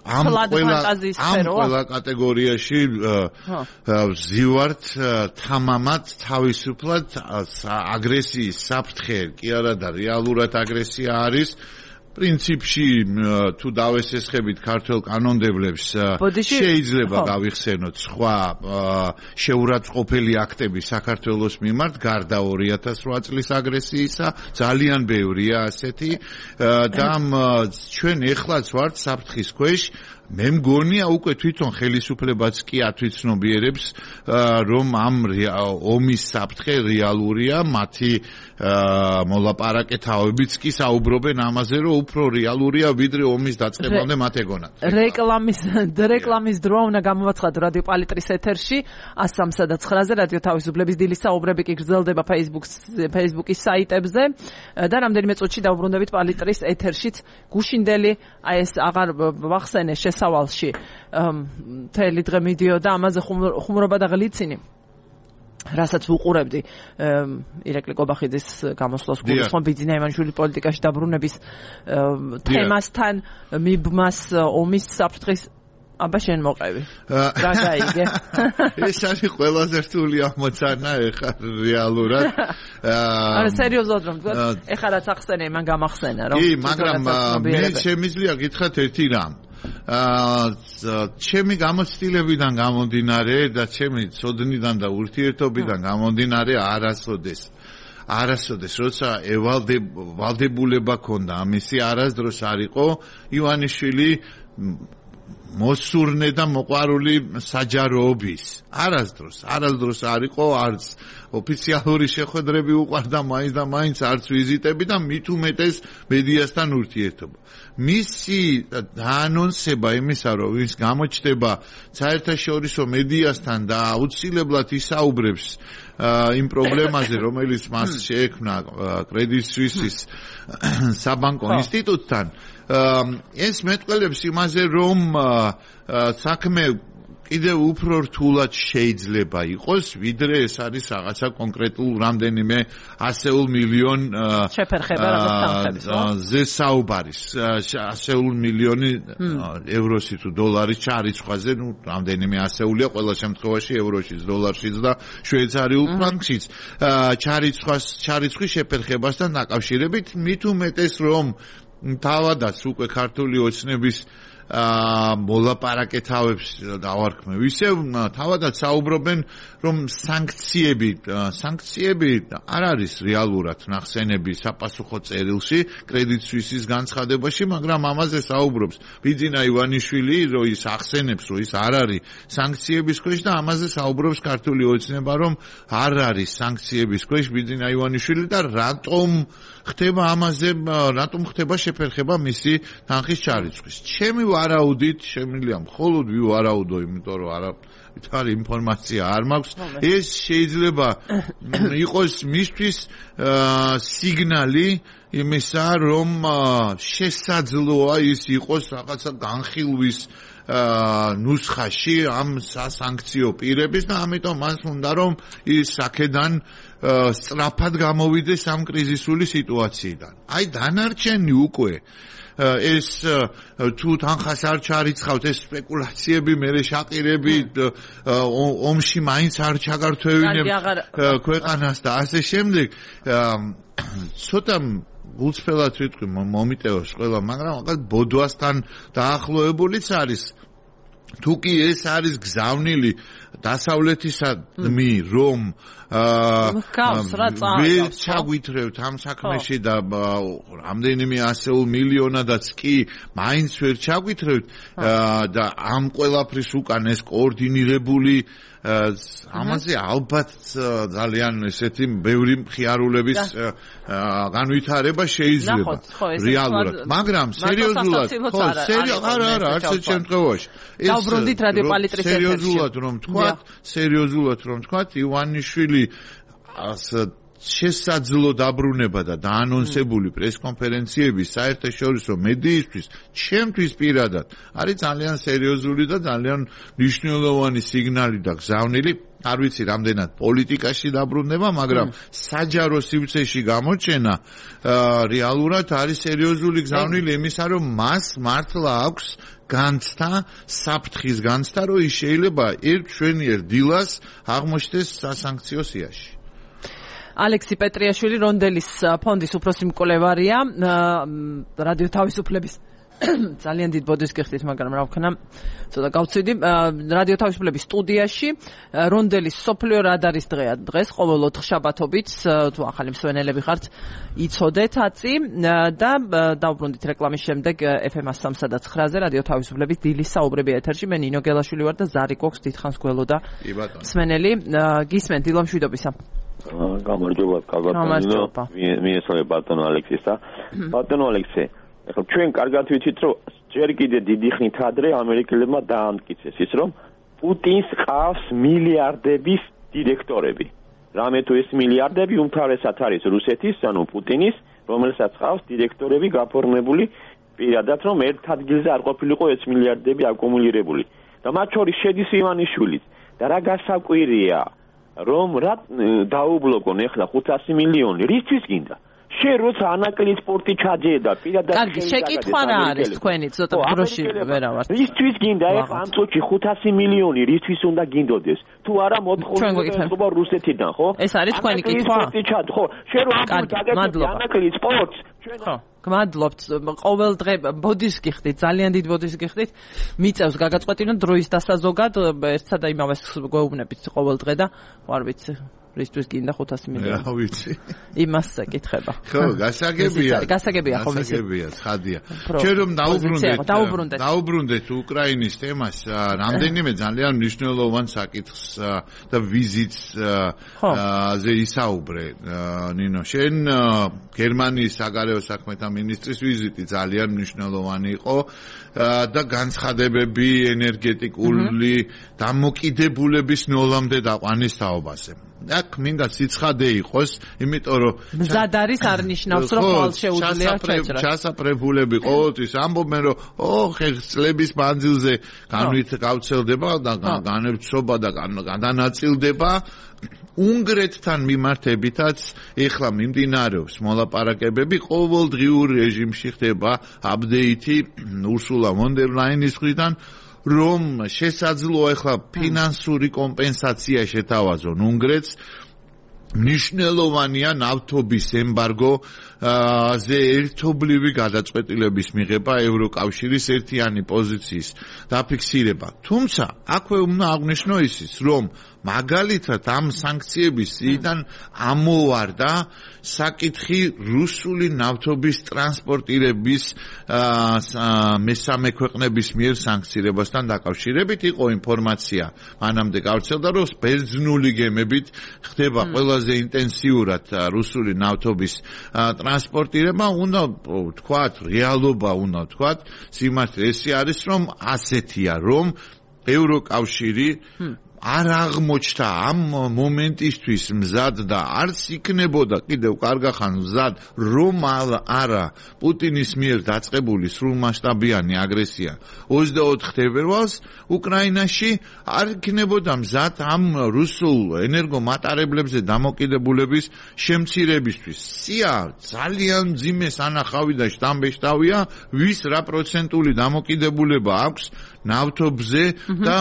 ამ ყველა კატეგორიაში ვზივართ თამამად თავისუფლად აგრესიის საფრთხე კი არა და რეალურად აგრესია არის. პრინციპში თუ დავესესხებით ქართულ კანონდებლებს შეიძლება გავიხსენოთ სხვა შეურაცხყოფელი აქტები საქართველოს მიმართ გარდა 2008 წლის აგრესიისა, ძალიან ბევრია ასეთი და ჩვენ ეხლაც ვართ საფრთხის ქვეშ. მე მგონია უკვე თვითონ ხელისუფლებაც კი ათვითცნობიერებს, რომ ამ ომის საფრთხე რეალურია, მათი მოლაპარაკეთაობიც კი საუბრობენ ამაზე, რომ უფრო რეალურია ვიდრე ომის დაწყებამდე მათ ეგონათ. რეკლამის დროა უნდა გამოვაცხადო რადიო პალიტრის ეთერში 103.9-ზე რადიო თავისუფლების დილის საუბრები კი გრძელდება Facebook-ის საიტებზე და რამდენიმე წუთში დავუბრუნდებით პალიტრის ეთერშიც გუშინდელი აი ეს აღარ ვახსენე შესავალში მთელი დღე მიდიოდა ამაზე ხუმრობა და გლიცინი, რასაც ვუყურებდი ირაკლი კობახიძის გამოსვლას გულისხმობ ბიძინა ივანიშვილის პოლიტიკაში დაბრუნების თემასთან მიბმას ომის საფრთხის აბა შენ მოყევი. რა გაიგე? ეს არის ყველაზე რთული ამოცანა ეხლა რეალურად. არა სერიოზულად რომ ვთქვა, ეხლა რაც ახსენე, მან გამახსენა რომ. კი, მაგრამ მე შემიძლია გითხრათ ერთი რამ. ჩემი გამოცდილებიდან გამომდინარე და ჩემი ცოდნიდან და ურთიერთობიდან გამომდინარე არასოდეს როცა ვალდებულება ქონდა ამისი არასდროს არ იყო ივანიშვილი მოსურნე და მოყვარული საჯაროობის. არასდროს არ იყო არც ოფიციალური შეხვედრები უყვარდა მაინც და მაინც არც ვიზიტები და მით უმეტეს მედიასთან ურთიერთობა. მისი დაანონსება იმისა, რომ ის გამოჩნდება საერთაშორისო მედიასთან და აუცილებლად ისაუბრებს იმ პრობლემაზე, რომელიც მას შეექმნა კრედიტ სუისის საბანკო ინსტიტუტთან, ეს მეტყველებს იმაზე, რომ საქმე კიდევ უფრო რთულად შეიძლება იყოს, ვიდრე ეს არის რაღაცა კონკრეტულ რამდენიმე ასეულ მილიონ შეფერხება რაღაც თანხებს. ზე საუბარის ასეულ მილიონი ევროსი თუ დოლარის ჩარიცხვაზე, რამდენიმე ასეულია ყველა შემთხვევაში ევროშიც, დოლარშიც და შვეიცარიულ ფრანკშიც. ჩარიცხვის შეფერხებასთან დაკავშირებით მით უმეტეს რომ თავადაც უკვე ქართული ოცნების მოლაპარაკეთავებს დავარქმევ. ისევ თავადაც საუბრობენ, რომ სანქციები არ არის რეალურად ნახსენები საპასუხო წერილში კრედიტ სვისის განცხადებაში, მაგრამ ამაზე საუბრობს ბიძინა ივანიშვილი, რომ ის ახსენებს, რომ ის არ არის სანქციების ქვეშ და ამაზე საუბრობს ქართული ოცნება, რომ არ არის სანქციების ქვეშ ბიძინა ივანიშვილი და რატომ ხდება შეფერხება მისი თანხის ჩარიცხვის. ჩემი ვარაუდით შემიძლია მხოლოდ ვივარაუდო, იმიტომ რომ არის ინფორმაცია არ მაქვს. ეს შეიძლება იყოს მისთვის სიგნალი იმისა, რომ შესაძლოა ის იყოს რაღაცა განხილვის ნუსხაში ამ სასანქციო პირების და ამიტომ მას უნდა რომ ის აქედან სწრაფად გამოვიდეს ამ კრიზისული სიტუაციიდან. აი დანარჩენი უკვე ეს თუ თანხას არ ჩარიცხავთ, ეს სპეკულაციები, მე შაყირები ომში მაინც არ ჩაგართვევინებ ქვეყანას და ასე შემდეგ. ცოტა გულწრფელად ვიტყვი მომიტევოს ყველა, მაგრამ რაღაც ბოდვასთან დაახლოებულიც არის. თუ კი ეს არის გზავნილი დასავლეთისადმი, რომ ვერ ჩაგვითრევთ ამ საქმეში და რამდენიმე ასეულ მილიონადაც კი მაინც ვერ ჩაგვითრევთ და ამ ყველაფრის უკან ეს კოორდინირებული ამაზე ალბათ ძალიან ესეთი ბევრი მხიარულების განვითარება შეიძლება რეალურად, მაგრამ სერიოზულად არა არც ერთ შემთხვევაში დავბრუნდით რადიო პალიტრის ეთერში. სერიოზულად რომ თქვათ, ივანიშვილი შესაძლო დაბრუნება და დაანონსებული პრესკონფერენციების საერთაშორისო მედიისთვის ჩემთვის პირადად არის ძალიან სერიოზული და ძალიან მნიშვნელოვანი სიგნალი და გზავნილი. არ ვიცი რამდენად პოლიტიკაში დაბრუნება, მაგრამ საჯარო სივრცეში გამოჩენა რეალურად არის სერიოზული გზავნილი იმისა, რომ მას მართლა აქვს განცდა, საფრთხის განცდა, რომ ის შეიძლება ერთშვენიერ დილას აღმოჩნდეს სასანქციო სიაში. ალექსი პეტრიაშვილი რონდელის ფონდის უფროსი მკვლევარია, რადიო თავისუფლების ძალიან დიდ ბოდის გიხდით, მაგრამ რა ვქნა, ცოტა გავცვიდი. რადიო თავისუფლების სტუდიაში რონდელის სოფლიო რადარის დღეა დღეს, ყოველ 4 შაბათობით, თუ ახალი მსვენელები ხართ, იცოდეთ აწი და დავბრუნდით რეკლამის შემდეგ FM 103-ზე რადიო თავისუფლების დილის საუბრები ეთერში. მე ნინო გელაშვილი ვარ და ზარი გვაქვს დიდხანს გველოდა მსვენელი. გისმენთ დილა მშვიდობისა. გამარჯობა, კაგათანინო. მიესალმე ბატონო ალექსისა. ბატონო ალექსე, ახლა ჩვენ კარგად ვიცით, რომ ჯერ კიდე დიდი ხნით ადრე ამერიკელებმა დაამტკიცეს ის, რომ პუტინს ყავს მილიარდების დირექტორები. რამე თუ ეს მილიარდები უმთავრესად არის რუსეთის, ანუ პუტინის, რომელსაც ყავს დირექტორები გაფორმებული პირადად, რომ ერთ ადგილზე არ ყოფილიყო ეს მილიარდები აკუმულირებული. და მათ შორის შედის ივანიშვილიც. და რა გასაკვირია, რომ რა დაუბლოკონ ახლა 500 მილიონი, რისთვის გინდა? შენ როცა ანაკლი სპორტი ჩაჯედა პირადად კარგი, შეკითხვა რა არის თქვენი ცოტა დროში ვერავარ. რისთვის გინდა ახლა ამ წუთში 500 მილიონი, რისთვის უნდა გინდოდეს? თუ არა მოთხოვნილება რუსეთიდან, ხო? ეს არის თქვენი კითხვა? ხო, შენ რო ამ ანაკლი სპორტს ხო, გმადლობთ. ყოველ დღე ბოდის გიხდით, ძალიან დიდ ბოდის გიხდით. მიწევს გაგაწყვეტინოთ დროის დასაზოგად, ერთსა და იმავეს გვეუბნებით ყოველ დღე და ვარ ვიცი რისთვის გინდა 500 მილიონი. რა ვიცი. იმას ეკითხება. ხო, გასაგებია, ხო, გასაგებია, ცხადია. ჩვენ რომ დაუბრუნდეთ უკრაინის თემას, რამდენიმე ძალიან მნიშვნელოვან საკითხს და ვიზიტს ზე ისაუბრე. ნინო, შენ გერმანიის საგარეო საქმეთა მინისტრის ვიზიტი ძალიან მნიშვნელოვანი იყო და განცხადებები ენერგეტიკული დამოკიდებულების ნოლამდე დაყვანის თაობაზე. აქ მინდა სიცხადე იყოს, იმიტომ რომ მზად არის არ ნიშნავს რომ ხვალ შეუძლია ჩაჭრა. ჩასაფრებულები ყოველთვის ამბობენ რომ წლების მანძილზე გავრცელდება და განევრცობა და გადანაწილდება უნგრეთთან მიმართებითაც ეხლა მიმდინარეობს მოლაპარაკებები ყოველდღიურ რეჟიმში ხდება აპდეიტი ურსულა ფონ დერ ლაინის მხრიდან რომ შესაძლოა ეხლა ფინანსური კომპენსაცია შეთავაზონ უნგრეთს მნიშვნელოვანია ნავთობის ემბარგო ზე ერთობლივი გადაწყვეტილების მიღება ევროკავშირის ერთიანი პოზიციის დაფიქსირება. თუმცა აქვე უნდა აღვნიშნო ისიც, რომ მაგალითად ამ სანქციების სიიდან ამოვარდა საკითხი რუსული ნავთობის ტრანსპორტირების მესამე ქვეყნების მიერ სანქცირებასთან დაკავშირებით იყო ინფორმაცია მანამდე გავრცელდა რომ ბერძნული გემებით ხდება ყველაზე ინტენსიურად რუსული ნავთობის ტრანსპორტირება უნდა ვთქვათ რეალობა უნდა ვთქვათ სიმართლე ეს არის რომ ასეთია რომ ევროკავშირი არ აღმოჩნდა ამ მომენტისთვის მზად და არც იქნებოდა კიდევ კარგახან მზად რომ არა პუტინის მიერ დაწყებული სრულმასშტაბიანი აგრესია 24 თებერვალს უკრაინაში არ იქნებოდა მზად ამ რუსულ ენერგომატარებლებზე დამოკიდებულების შემცირებისთვის. სია ძალიან მძიმე სანახავი და შტამბეშტავია ვის რა პროცენტული დამოკიდებულება აქვს ნავთობზე და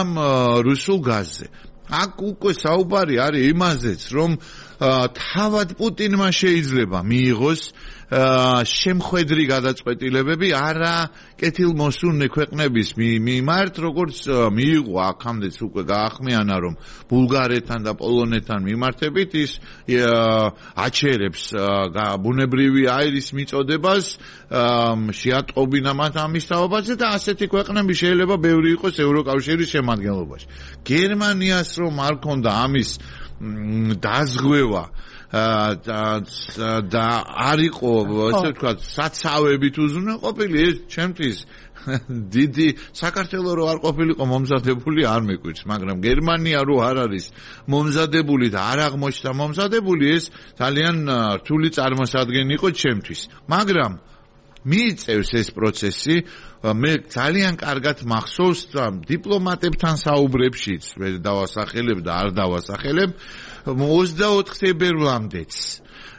რუსულ გაზზე. აქ უკვე საუბარი არის იმაზეც, რომ თავად პუტინმა შეიძლება მიიღოს შემხედრი გადაწყვეტილებები არა კეთილმოსურნე ქვეყნების მიმართ, როგორც მიიღო აქამდეც უკვე გაახმიანა, რომ ბულგარეთთან და პოლონეთთან მიმართებით ის აჩერებს ბუნებრივი აირის მიწოდებას, შეატყობინა მათ ამის თაობაზე და ასეთი ქვეყნები შეიძლება ბევრი იყოს ევროკავშირის შემადგენლობაში. გერმანიას რომ არ ქონდა ამის დაზღვევა და არ იყო ასე ვთქვათ საცავებით უზრუნველყოფილი ეს ჩემთვის დიდი საქართველოს რო არ ყოფილიყო მომზადებული არ მეკვირს, მაგრამ გერმანია რო არ არის მომზადებული და არ აღმოჩნდა მომზადებული ეს ძალიან რთული წარმოსადგენი იყო ჩემთვის. მაგრამ მიიწევს ეს პროცესი მე ძალიან კარგად მახსოვს დიპლომატებთან საუბრებშიც მე დავასახელებ და არ დავასახელებ 24 თებერვლამდეც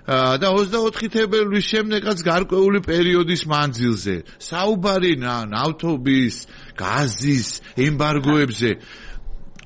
და 24 თებერვლის შემდეგაც გარკვეული პერიოდის მანძილზე საუბარი ნავთობის, გაზის ემბარგოებზე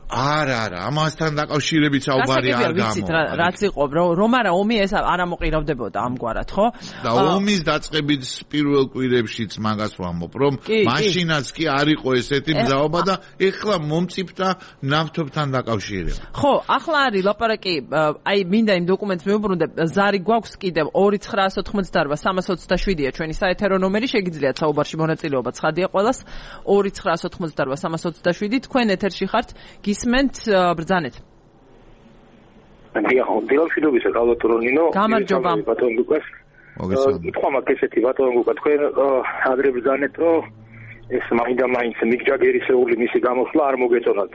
არა, ამასთან დაკავშირებით საუბარი არ გამოვა. რაც იყო, რომ არა ომი ეს არ ამოყირავდებოდა ამგვარად, ხო? და ომის დაწყებით პირველ კვირებშიც მაგას ვამბობ, რომ მაშინაც კი არ იყო ესეთი მზაობა და ეხლა მომწიფდა ნავთობთან დაკავშირებით. ხო, ახლა არის ლაპარაკი, აი მინდა იმ დოკუმენტს მივუბრუნდე, ზარი გვაქვს კიდევ 2988-327-ია ჩვენი საეთერო ნომერი, შეგიძლიათ საუბარში მონაწილეობა ცხადია ყველას 2988-327, თქვენ ეთერში ხართ. ისმენთ ბრძანეთ. დილამშვიდობისა გალბატონინო. გამარჯობა. ბატონ ლუკას. ითქვა მაგ ესეთი ბატონ ლუკა თქვენ ადრე ბრძანეთ რომ ეს მაინც მიკ ჯაგერის მისი გამოსვლა არ მოგეწონათ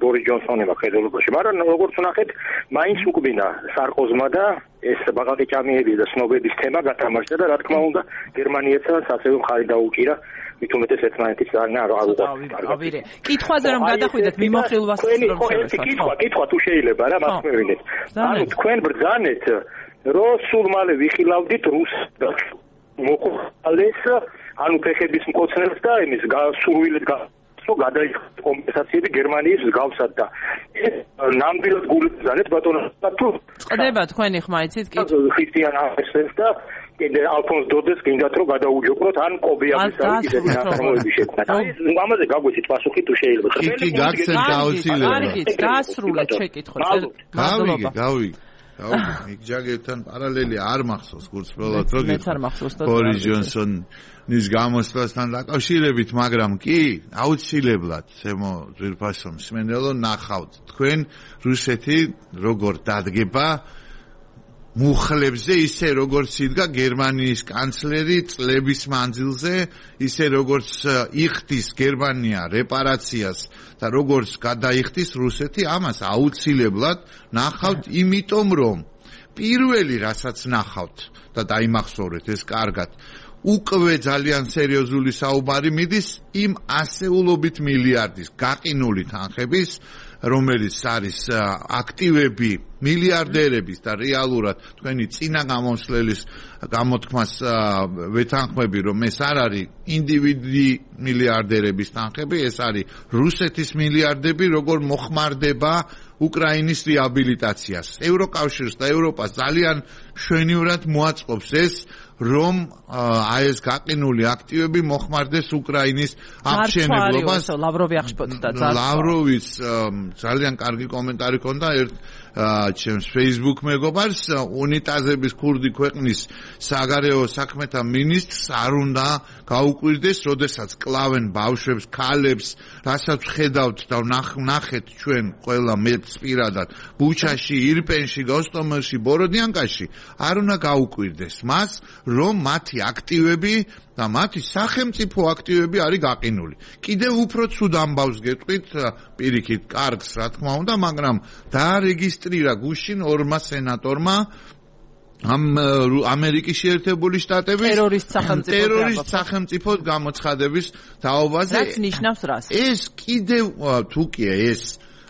ბორის ჯონსონმა ხელოვნებაში, მაგრამ როგორც ვნახეთ, მაინც უკბინა სარკოზმა და ეს ბაღაყი ჭამიების და სნობების თემა გათამაშდა და რა თქმა უნდა გერმანიეცაც ასევე მხარი დაუჭირა მით უმეტეს ერთმანეთის ძალიან არ ავირე. კითხვაზე რომ გადახვიდეთ მიმოხილვას რომ შევეცოთ. კითხვა თუ შეიძლება რა მას მევინეთ. ანუ თქვენ ბრძანეთ რომ სულ მალე ვიხილავდით რუს მოყოლეს ანუ ფეხების მკოცნებს და იმის სურვილით გადაიხდა კომპენსაციები გერმანიის მსგავსად და ეს ნამდვილად გულისხმობთ ბატონო თუ წდება თქვენი ხმა იცით კი ხრისტიან ახსენს და კიდე ალფონს დოდეს გინდათ რომ გადაუჯოყროთ ან კობიავის ისეთი ნაწარმოები შექმნათ. აი ამაზე გაგვიცით პასუხი თუ შეიძლება. კი გაგცეთ გაუცილებლად. კარგით, დასრულეთ შეკითხვა. მადლობა. გავიგე. მიკ ჯაგერთან პარალელი არ მახსოვს გულწრფელად რომ ბორის ჯონსონის გამოსვლასთან დაკავშირებით, მაგრამ კი აუცილებლად ზემო ძვირფასო მსმენელო ნახავთ თქვენ რუსეთი როგორ დადგება მუხლებზე ისე როგორც იდგა გერმანიის კანცლერი წლების მანძილზე, ისე როგორც იხდის გერმანია რეპარაციას და როგორც გადაიხდის რუსეთი, ამას აუცილებლად ნახავთ, იმიტომ რომ პირველი რასაც ნახავთ და დაიმახსოვრეთ ეს კარგად, უკვე ძალიან სერიოზული საუბარი მიდის იმ ასეულობით მილიარდის გაყინული თანხების, რომელიც არის აქტივები მილიარდერების და რეალურად თქვენი წინა გამოსვლის გამოთქმას ვეთანხმები, რომ ეს არ არის ინდივიდი მილიარდერების თანხები, ეს არის რუსეთის მილიარდები, როგორ მოხმარდება უკრაინის რეაბილიტაციას. ევროკავშირს და ევროპას ძალიან მშვენივრად მოაწყობს ეს, რომ ეს გაყინული აქტივები მოხმარდეს უკრაინის აღშენებლობას. ლავროვი აღშფოთდა. ლავროვის ძალიან კარგი კომენტარი ჰქონდა ჩემს Facebook მეგობარს, უნიტაზების ქურდი ქვეყნის საგარეო საქმეთა მინისტრს არ უნდა გაუკვირდეს, როდესაც კლავენ ბავშვებს, ქალებს, რასაც ხედავთ და ნახეთ ჩვენ ყველა მეც პირადად ბუჩაში, ირპენში, გოსტომელში, ბოროდიანკაში, არ უნდა გაუკვირდეს მას, რომ მათი აქტივები და მათი სახელმწიფო აქტივები არის გაყინული. კიდევ უფრო ცუდ ამბავს გეტყვით, პირიქით კარგს, რა თქმა უნდა, მაგრამ დაარეგისტრირა გუშინ ორმა სენატორმა ამერიკის შეერთებული შტატების ტერორისტ სახელმწიფოდ გამოცხადების თაობაზე. რაც ნიშნავს რას? ეს კიდევ თუ კი ეს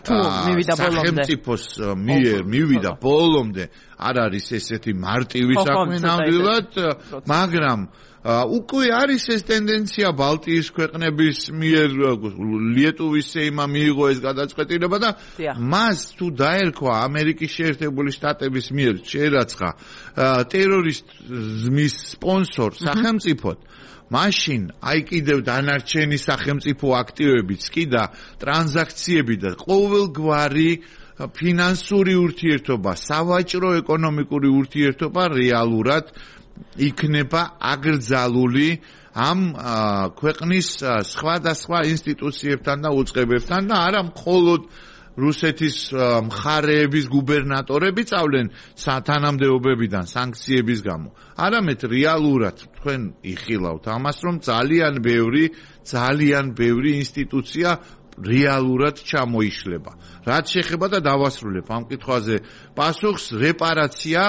სახელმწიფოს მიერ მივიდა ბოლომდე არ არის ესეთი მარტივი საქმე ნამდვილად, მაგრამ უკვე არის ეს ტენდენცია ბალტიის ქვეყნების მიერ, ლიეტუვის სეიმმა მიიღო ეს გადაწყვეტილება და მას თუ დაერქვა ამერიკის შეერთებული შტატების მიერ შეერაცხა ტერორიზმის სპონსორ სახელმწიფოდ, მაშინ აი კიდევ დანარჩენი სახელმწიფო აქტივებიც კი და ტრანზაქციები და ყოველგვარი ფინანსური ურთიერთობა, სავაჭრო ეკონომიკური ურთიერთობა რეალურად იქნება აკრძალული ამ ქვეყნის სხვადასხვა ინსტიტუციებთან და უწყებებთან და არა მხოლოდ რუსეთის მხარეების გუბერნატორები წავლენ თანამდებობებიდან სანქციების გამო. არამედ რეალურად თქვენ იხილავთ ამას, რომ ძალიან ბევრი ინსტიტუცია რეალურად ჩამოიშლება. რაც შეეხება და დავასრულებ ამ კითხვაზე პასუხს, რეპარაცია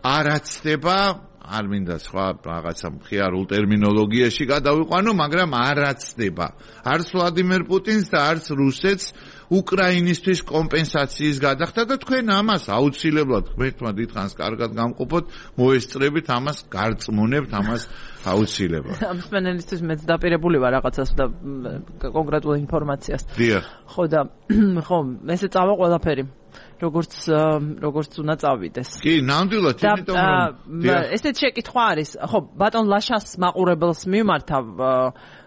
არაცდება, არ მინდა სხვა რაღაცა მხიარულ ტერმინოლოგიაში გადავიყვანო, მაგრამ არაცდება. არც ვლადიმერ პუტინს და არც რუსეთს უკრაინისთვის კომპენსაციის გადახდა და თქვენ ამას აუცილებლად ღმერთმა დიდხანს კარგად გამყოფოთ, მოესწრებით ამას, გარწმუნებთ ამას აუცილებლად. ამ სპენელისთვის მეც დაპირებული ვარ რაღაცას და კონკრეტულ ინფორმაციას. დიახ. ხო და ხო, ესე წავა ყველაფერი. როგორც უნდა წავიდეს. კი, ნამდვილად, იმიტომ რომ ესეც შეკითხვა არის. ხო, ბატონ ლაშას მაყურებელს მიმართავ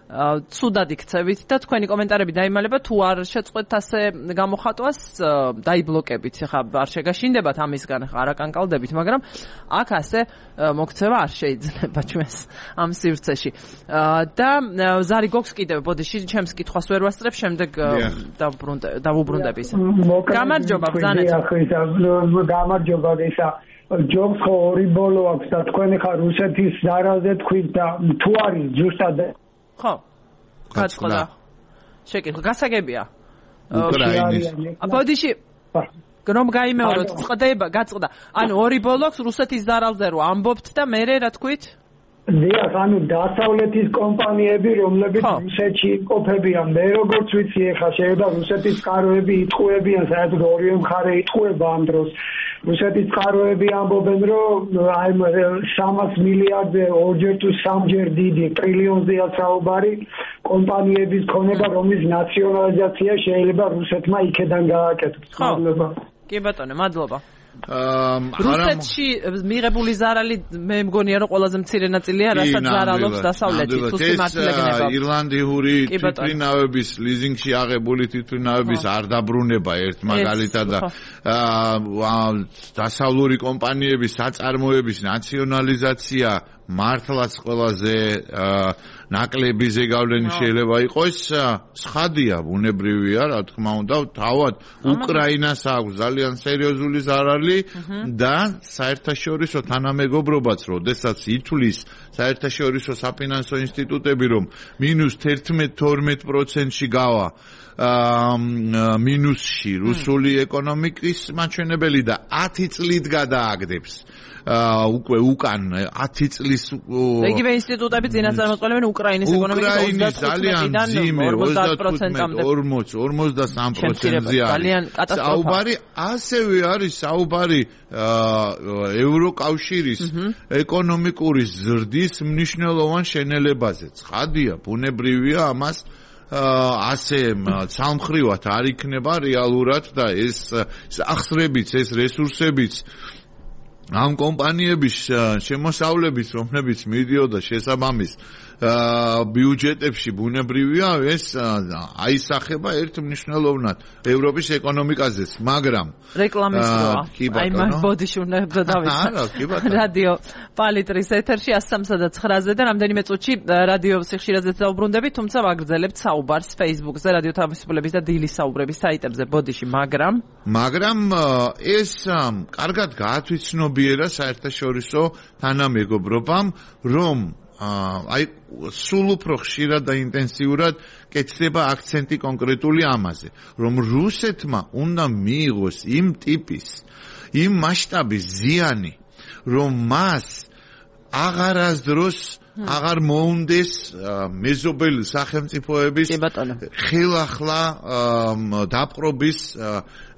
ცუდად იქცევით და თქვენი კომენტარები დაიმალება, თუ არ შეწყვეტთ ასე გამოხატვას, დაიბლოკებით. ხა არ შეგაშინდებათ ამისგან, არ აკანკალდებით, მაგრამ აქ ასე მოქცევა არ შეიძლება ჩვენს ამ სივრცეში. და ზარი გოქს კიდევ, ბოდიში, ჩემს კითხვას ვერ ვასწრებ, შემდეგ დავუბრუნდები ისე. გამარჯობა, ბრძანეთ. გამარჯობა, ისა. ჯობს ხო ორი ბოლო აქვს და თქვენ ხა რუსეთის ზარალზე თქვით და თუ არის ზუსტად ხო, გაწყდა. შეკითხვა გასაგებია. უკრაინის. ბოდიში რომ გაიმეოროთ, გაწყდა. ანუ ორი ბოლოks რუსეთის ზარალზე რო ამბობთ და მე რა თქვით? დიახ, ანუ დასავლეთის კომპანიები, რომლებიც რუსეთში იმყოფებიან, მე როგორც ვიცი, ეხლა შეიძლება რუსეთის წყაროები იტყუებიან, საერთოდ ორივე მხარე იტყუება ამ დროს. რუსეთის წყაროები ამბობენ, რომ აი 300 მილიარდზე ორჯერ თუ სამჯერ დიდი ტრილიონზეა საუბარი კომპანიების ქონება, რომლის ნაციონალიზაცია შეიძლება რუსეთმა იქედან გააკეთოს. მადლობა. კი ბატონო, მადლობა. რუსეთში მიღებული ზარალი მე მგონია რომ ყველაზე მცირე ნაწილია, რასაც ზარალობს დასავლეთი თვითმმართველობა. ირლანდიური თვითმფრინავების ლიზინგში აღებული თვითმფრინავების არ დაბრუნება ერთ მაგალითად და დასავლური კომპანიების საწარმოების ნაციონალიზაცია მართლაც ყველაზე ნაკლები ზეგავლენი შეიძლება იყოს, სხადია, ბუნებრივია, რა თქმა უნდა, თავად უკრაინას აქვს ძალიან სერიოზული ზარალი და საერთაშორისო თანამეგობრობაც, როდესაც ითვლის საერთაშორისო საფინანსო ინსტიტუტები, რომ -11-12%-ში გავა მინუსში რუსული ეკონომიკის მაჩვენებელი და 10 წლით გადააგდებს უკვე უკან 10 წლის იგივე ინსტიტუტები წინასწარმეტყველებენ უკრაინის ეკონომიკის 25%-მდე 40-43%-ია საუბარი ასევე არის საუბარი ევროკავშირის ეკონომიკური ზრდის მნიშვნელოვან შენელებაზე. ცხადია, ბუნებრივია ამას ასე ცალმხრივად არ იქნება რეალურად და ეს ახსრებიც, ეს რესურსებიც ამ კომპანიების შემოსავლების, რომლებიც მიდიოდა შესაბამის ბიუჯეტებში ბუნებრივია ეს აისახება ერთ მნიშვნელოვნად ევროპის ეკონომიკაზეც, მაგრამ რეკლამის როა. აი მაგ ბოდიში უნდა დავიწყო. რადიო პალიტრის ეთერში 103-9-ზე და რამდენიმე წუთში რადიო სიხშირეზეც დაუბრუნდებით, თუმცა ვაგრძელებთ საუბარს Facebook-ზე, რადიო თავისუფლების და დილის საუბრების საიტებზე ბოდიში, მაგრამ ეს კარგად გაათვითცნობიერა საერთაშორისო თანამეგობრობამ, რომ აი სულ უფრო ხშირად და ინტენსიურად კეთდება აქცენტი კონკრეტული ამაზე, რომ რუსეთმა უნდა მიიღოს იმ ტიპის, იმ მასშტაბის ზიანი, რომ მას აღარასდროს აღარ მოუნდეს მეზობელი სახელმწიფოების ხელახლა დაპყრობის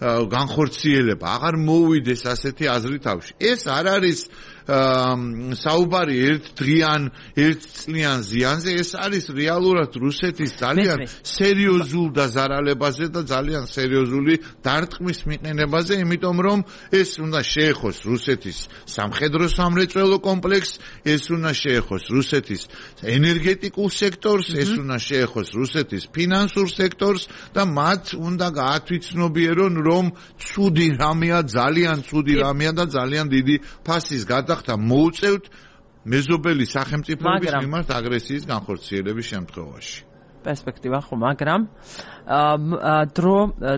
განხორციელება, აღარ მოუვიდეს ასეთი აზრი თავში. ეს არ არის საუბარი ერთწლიან ზიანზე, ეს არის რეალურად რუსეთის ძალიან სერიოზულ დაზარალებაზე და ძალიან სერიოზული დარტყმის მიყენებაზე, იმიტომ რომ ეს უნდა შეეხოს რუსეთის სამხედრო-სამრეწველო კომპლექსს, ეს უნდა შეეხოს რუსეთის ენერგეტიკულ სექტორს, ეს უნდა შეეხოს რუსეთის ფინანსურ სექტორს და მათ უნდა გაათვითცნობიერონ, რომ ცუდი რამეა, ძალიან ცუდი რამეა და ძალიან დიდი ფასის გადახდა მოუწევთ მეზობელი სახელმწიფოების მიმართ აგრესიის განხორციელების შემთხვევაში. პერსპექტივა ხო, მაგრამ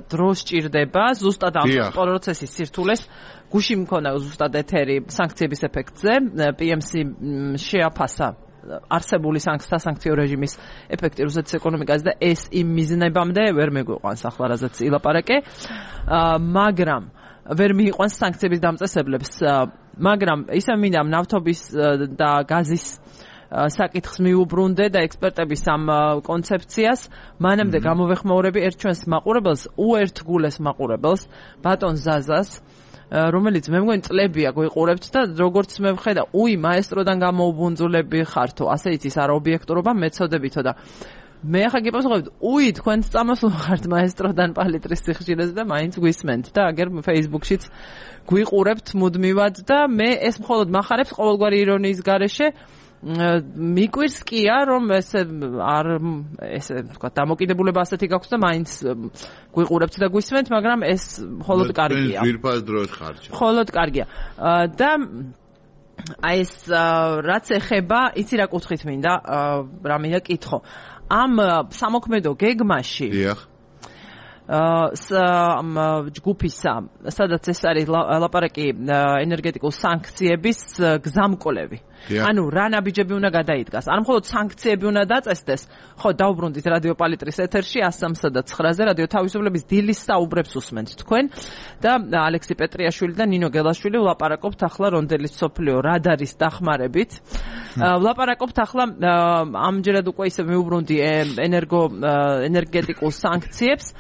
დრო სჭირდება ზუსტად ამ პროცესის სირთულეს გუში მქონა ზუსტად ეთერი სანქციების ეფექტზე, PMC შეაფასა არსებული სასანქციო რეჟიმის ეფექტი რუსეთის ეკონომიკაზე და ეს იმ მიზნებამდე ვერ მეგვიყვანს ახლა რაზეც ილაპარაკე, მაგრამ ვერ მიიყვანს სანქციების დამწესებლებს, მაგრამ ისე მინდა ნავთობის და გაზის საკითხს მიუბრუნდე და ექსპერტების ამ კონცეფციას, მანამდე გამოვეხმაურები ერთ ჩვენს მაყურებელს, უერთგულეს მაყურებელს, ბატონ ზაზას, რომელიც მე მგონი წლებია გვიყურებთ და როგორც მე ვხედა, მაესტროდან გამოუბუნძულები ხართო, ასე იცის არა ობიექტურობა, მეცოდებითო და მე ახლა გიპასუხებთ, თქვენც წამოსულ ხართ მაესტროდან პალიტრის სიხშირეზე და მაინც გვისმენთ და აგერ Facebook-შიც გვიყურებთ მუდმივად და მე ეს მხოლოდ მახარებს ყოველგვარი ირონიის გარეშე მიკვირს კია, რომ ესე თქვა დამოკიდებულება ასეთი გაქვს და მაინც გვიყურებთ და გვისმენთ, მაგრამ ეს მხოლოდ კარგია. ძვირფას დროით ხარჯა. მხოლოდ კარგია. და აი ეს რაც ეხება, იცი რა კუთხით მინდა, რა მინდა კითხო. ამ სამოქმედო გეგმაში ჯგუფისა, სადაც ეს არის ლაპარაკი ენერგეტიკულ სანქციების გზამკვლევი. ანუ რა ნაბიჯები უნდა გადაიდგას. არ მხოლოდ სანქციები უნდა დაწესდეს. ხო, დაუბრუნდით რადიო პალიტრის ეთერში 103-9-ზე რადიო თავისუფლების დილის საუბრებს უსმენთ თქვენ და ალექსი პეტრიაშვილი და ნინო გელაშვილი ვლაპარაკობთ ახლა რონდელის სოფლიო რადარის დახმარებით. ვლაპარაკობთ ახლა ამჯერად უკვე ისე მიუბრუნდი ენერგეტიკულ სანქციებს.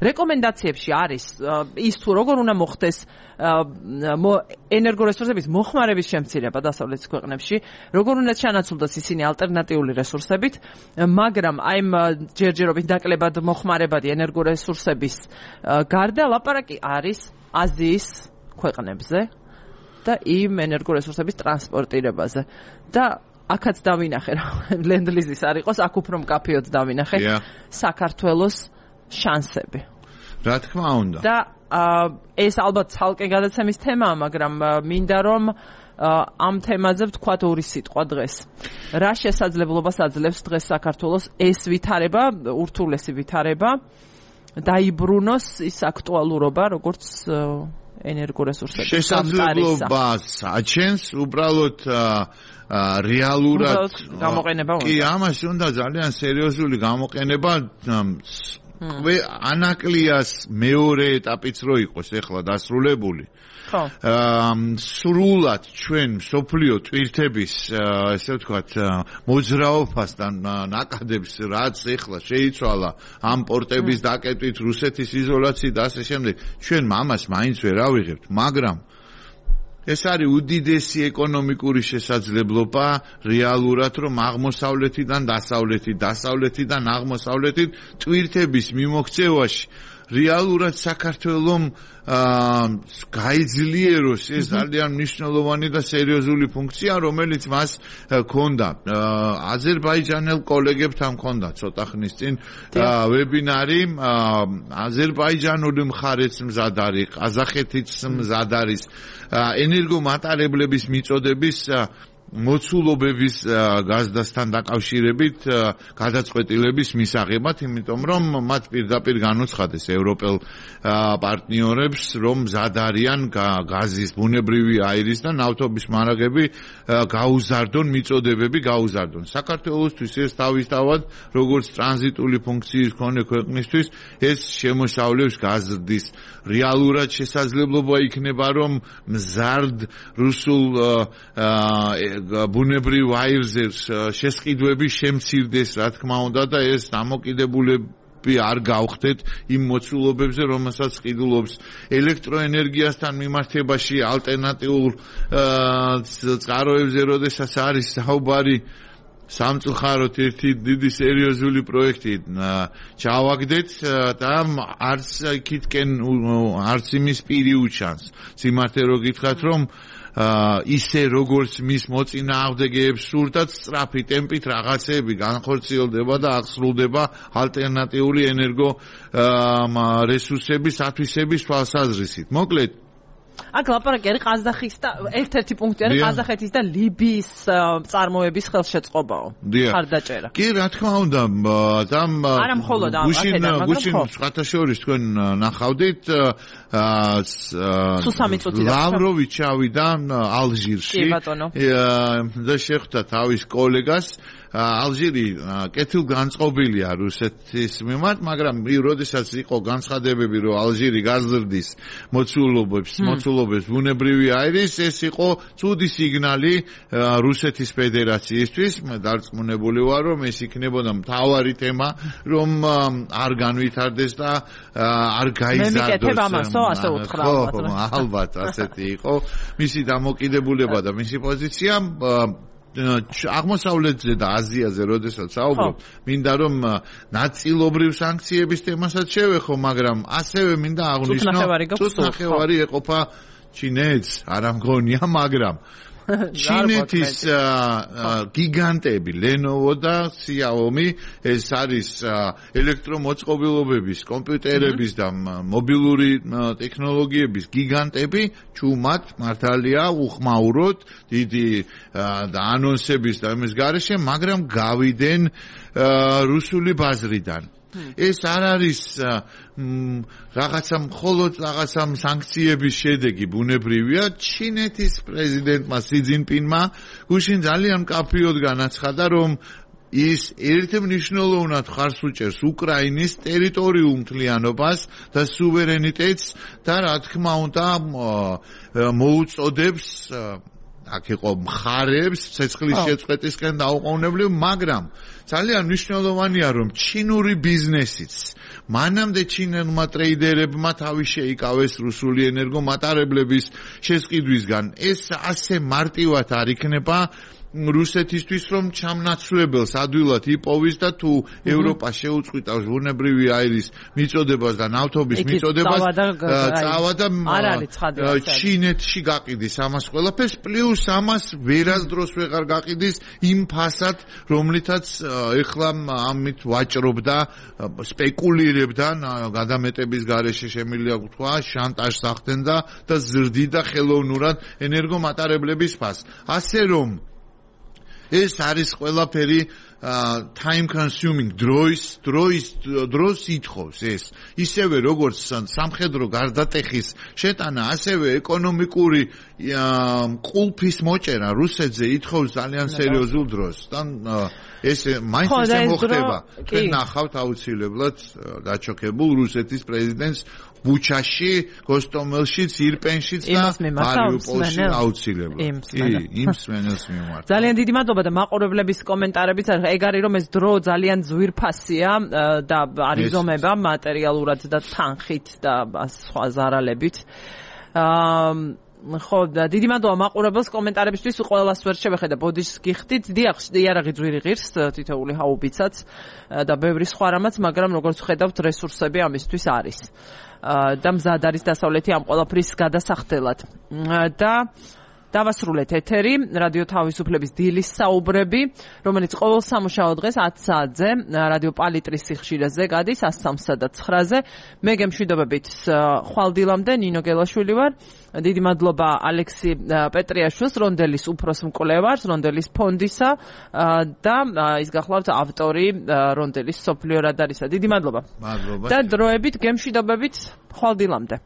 რეკომენდაციებში არის ის თუ როგორ უნდა მოხდეს ენერგორესურსების მოხმარების შემცირება დასავლეთის ქვეყნებში, როგორ უნდა ჩანაცვლდეს ისინი ალტერნატიული რესურსებით, მაგრამ აი ჯერჯერობით ნაკლებად მოხმარებადი ენერგორესურსების გარდა ლაპარაკი არის აზიის ქვეყნებზე და იმ ენერგორესურსების ტრანსპორტირებაზე და აქაც დავინახე რა ლენდლიზის არ იყოს, აქ უფრო მკაფიოდ დავინახე საქართველოს შანსები. რა თქმა უნდა. და ეს ალბათ ცალკე გადაცემის თემაა, მაგრამ მინდა რომ ამ თემაზე ვთქვათ ორი სიტყვა დღეს. რა შესაძლებლობას აძლევს დღეს საქართველოს ეს ვითარება, ურთულესი ვითარება, დაიბრუნოს ის აქტუალურობა, როგორც ენერგორესურსების შესაძლებლობას აჩენს უბრალოდ რეალურად გამოყენება უნდა. კი, ამაში უნდა ძალიან სერიოზული გამოყენება. ანაკლიას მეორე ეტაპიც რო იყოს ეხლა დასრულებული. სრულად ჩვენ სოფლიო ტვირთების ესე ვთქვათ მოძრაობასთან ნაკადებს რაც ეხლა შეიცვალა ამ პორტების დაკეტვით რუსეთის იზოლაციით და ასე შემდეგ ჩვენ ამას მაინც ვერ ავიღებთ, მაგრამ ეს არის უდიდესი ეკონომიკური შესაძლებლობა რეალურად რომ აღმოსავლეთიდან დასავლეთიდან აღმოსავლეთით ტვირთების მიმოქცევაში რეალურად საქართველოს გაიძლიეროს ეს ძალიან მნიშვნელოვანი და სერიოზული ფუნქცია, რომელიც მას ჰქონდა. აზერბაიჯანელ კოლეგებთან ჰქონდა ცოტა ხნის წინ ვებინარი, აზერბაიჯანული მხარეც მზად არის, ყაზახეთიც მზად არის ენერგომატარებლების მიწოდების მოცულობების გაზდასთან დაკავშირებით გადაწყვეტილების მისაღებად, იმიტომ რომ მათ პირდაპირ განუცხადეს ევროპელ პარტნიორებს, რომ მზად არიან გაზის, ბუნებრივი აირის და ნავთობის მარაგები გაუზარდონ, მიწოდებები გაუზარდონ. საქართველოსთვის ეს თავისთავად, როგორც ტრანზიტული ფუნქციის მქონე ქვეყნისთვის, ეს შემოსავლებს გაზრდის რეალურად შესაძლებლობა იქნება, რომ მზარდ რუსულ ბუნებრივ აირზე შესყიდვები შემცირდეს, რა თქმა უნდა და ეს დამოკიდებულები არ გავხდეთ იმ მოცულობებზე, რომელსაც ყიდულობს ელექტროენერგიასთან მიმართებაში ალტერნატიულ წყაროებზე, როდესაც არის საუბარი სამწუხაროდ ერთი დიდი სერიოზული პროექტი ჩავაგდეთ და არც იქითკენ არც იმის პირი უჩანს. სიმართლე რო გითხრათ, რომ ისე როგორც მის მოწინააღმდეგეებს სურდათ სწრაფი ტემპით რაღაცეები განხორციელდება და აღსრულდება ალტერნატიული ენერგო რესურსების ათვისების თვალსაზრისით. მოკლედ აქ ლაპარაკი არის ყაზახის და ერთ-ერთი პუნქტი არის ყაზახეთის და ლიბიის წარმოების ხელშეწყობაო. ხარდაჭერა. კი, რა თქმა უნდა, არა მხოლოდ აქედან, გუშინ სხვათაშორის თქვენ ნახავდით სუსამი წუთი ლავროვი ჩავიდა ალჟირში და შეხვდა თავის კოლეგას. ალჟირი კეთილგანწყობილია რუსეთის მიმართ, მაგრამ როდესაც იყო განცხადებები, რომ ალჟირი გაზრდის მოცულობებს ბუნებრივი აირის, ეს იყო ცუდი სიგნალი რუსეთის ფედერაციისთვის. მე დარწმუნებული ვარ, რომ ეს იქნებოდა მთავარი თემა, რომ არ განვითარდეს და არ გაიზარდოს. ასე უთხრა ალბათ ასეთი იყო მისი დამოკიდებულება და მისი პოზიცია. აღმოსავლეთზე და აზიაზე როდესაც საუბრობ, მინდა რომ ნაწილობრივ სანქციების თემასაც შევეხო, მაგრამ ასევე მინდა აღვნიშნო, თვითნახევარი ეყოფა ჩინეთს, არ მგონია, მაგრამ ჩინეთის გიგანტები Lenovo და Xiaomi ეს არის ელექტრომოწყობილობების, კომპიუტერების და მობილური ტექნოლოგიების გიგანტები, ჩუმად მართალია უხმაუროთ დიდი და ანონსების და იმის გარეშე, მაგრამ გავიდენ რუსული ბაზრიდან. ეს არ არის რაღაცა მხოლოდ რაღაცა სანქციების შედეგი ბუნებრივია. ჩინეთის პრეზიდენტმა სი ძინპინმა გუშინ ძალიან მკაფიოდ განაცხადა, რომ ის ერთმნიშვნელოვნად ხარს უჭერს უკრაინის ტერიტორიულ მთლიანობას და სუვერენიტეტს და რა თქმა უნდა მოუწოდებს აქ იყო მხარებს ცეცხლის შეწყვეტისკენ დაუყოვნებლივ, მაგრამ ძალიან მნიშვნელოვანია, რომ ჩინური ბიზნესიც მანამდე ჩინელმა ტრეიდერებმა თავი შეიკავეს რუსული ენერგომატარებლების შესყიდვისგან. ეს ასე მარტივად არ იქნება რუსეთისთვის რომ ჩამნაცვლებელს ადვილად იპოვის და თუ ევროპა შეუწყვიტავს ბუნებრივი აირის მიწოდებას და ნავთობის მიწოდებას წავა და ჩინეთში გაყიდის ამას ყველაფერს პლუს ამას ვერასდროს ვეღარ გაყიდის იმ ფასად რომლითაც ეხლა ამით ვაჭრობდა სპეკულირებდა გადამეტების გარეშე შემიძლია თქვა შანტაჟს ახდენდა და ზრდიდა ხელოვნურად ენერგომატარებლების ფასს ასე რომ ეს არის ყველაფერი time consuming დროს ითხოვს ეს ისევე როგორც სამხედრო გარდატეხის შეტანა ასევე ეკონომიკური ყულფის მოჭერა რუსეთზე ითხოვს ძალიან სერიოზულ დროს და ეს მაინც ისე მოხდება თქვენ ნახავთ აუცილებლად დაჩოქებულ რუსეთის პრეზიდენტს ბუჩაში, გოსტომელშიც, ირპენშიც და მარიუპოლში აუცილებლად. იმ სმენელს მიმართ. ძალიან დიდი მადლობა და მაყურებლების კომენტარებით ეგ არის რომ ეს დრო ძალიან ძვირფასია და არიზომება მატერიალურად და თანხით და სხვა ზარალებით. ხო და დიდი მადლობა მაყურებელს კომენტარებისთვის ყველას ვერ შევეხედა ბოდიშს გიხდით დიახ იარაღი ძვირი ღირს თითოეული ჰაუბიცაც და ბევრი სხვა რამაც მაგრამ როგორც ხედავთ რესურსები ამისთვის არის და მზად არის დასავლეთი ამ ყველაფრის გადასახდელად და დავასრულეთ ეთერი რადიო თავისუფლების დილის საუბრები რომელიც ყოველ სამუშაო დღეს 10 საათზე რადიო პალიტრის სიხშირეზე გადის 103 და 9-ზე მე გემშვიდობებით ხვალდილამდე ნინო გელაშვილი ვარ დიდი მადლობა ალექსი პეტრიაშვილს რონდელის უფროს მკვლევარს რონდელის ფონდისა და ის გახლავთ ავტორი რონდელის სოფლიო რადარისა დიდი მადლობა და დროებით გემშვიდობებით ხვალდილამდე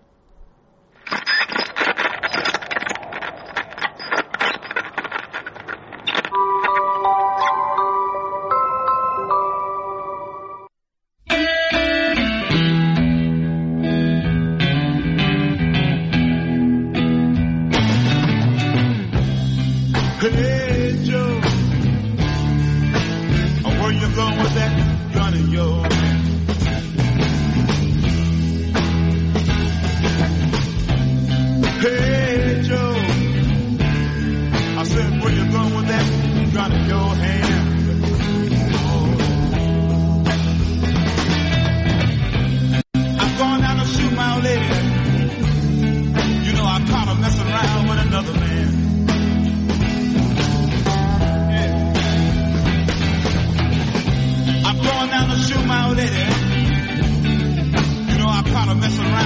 Mess around.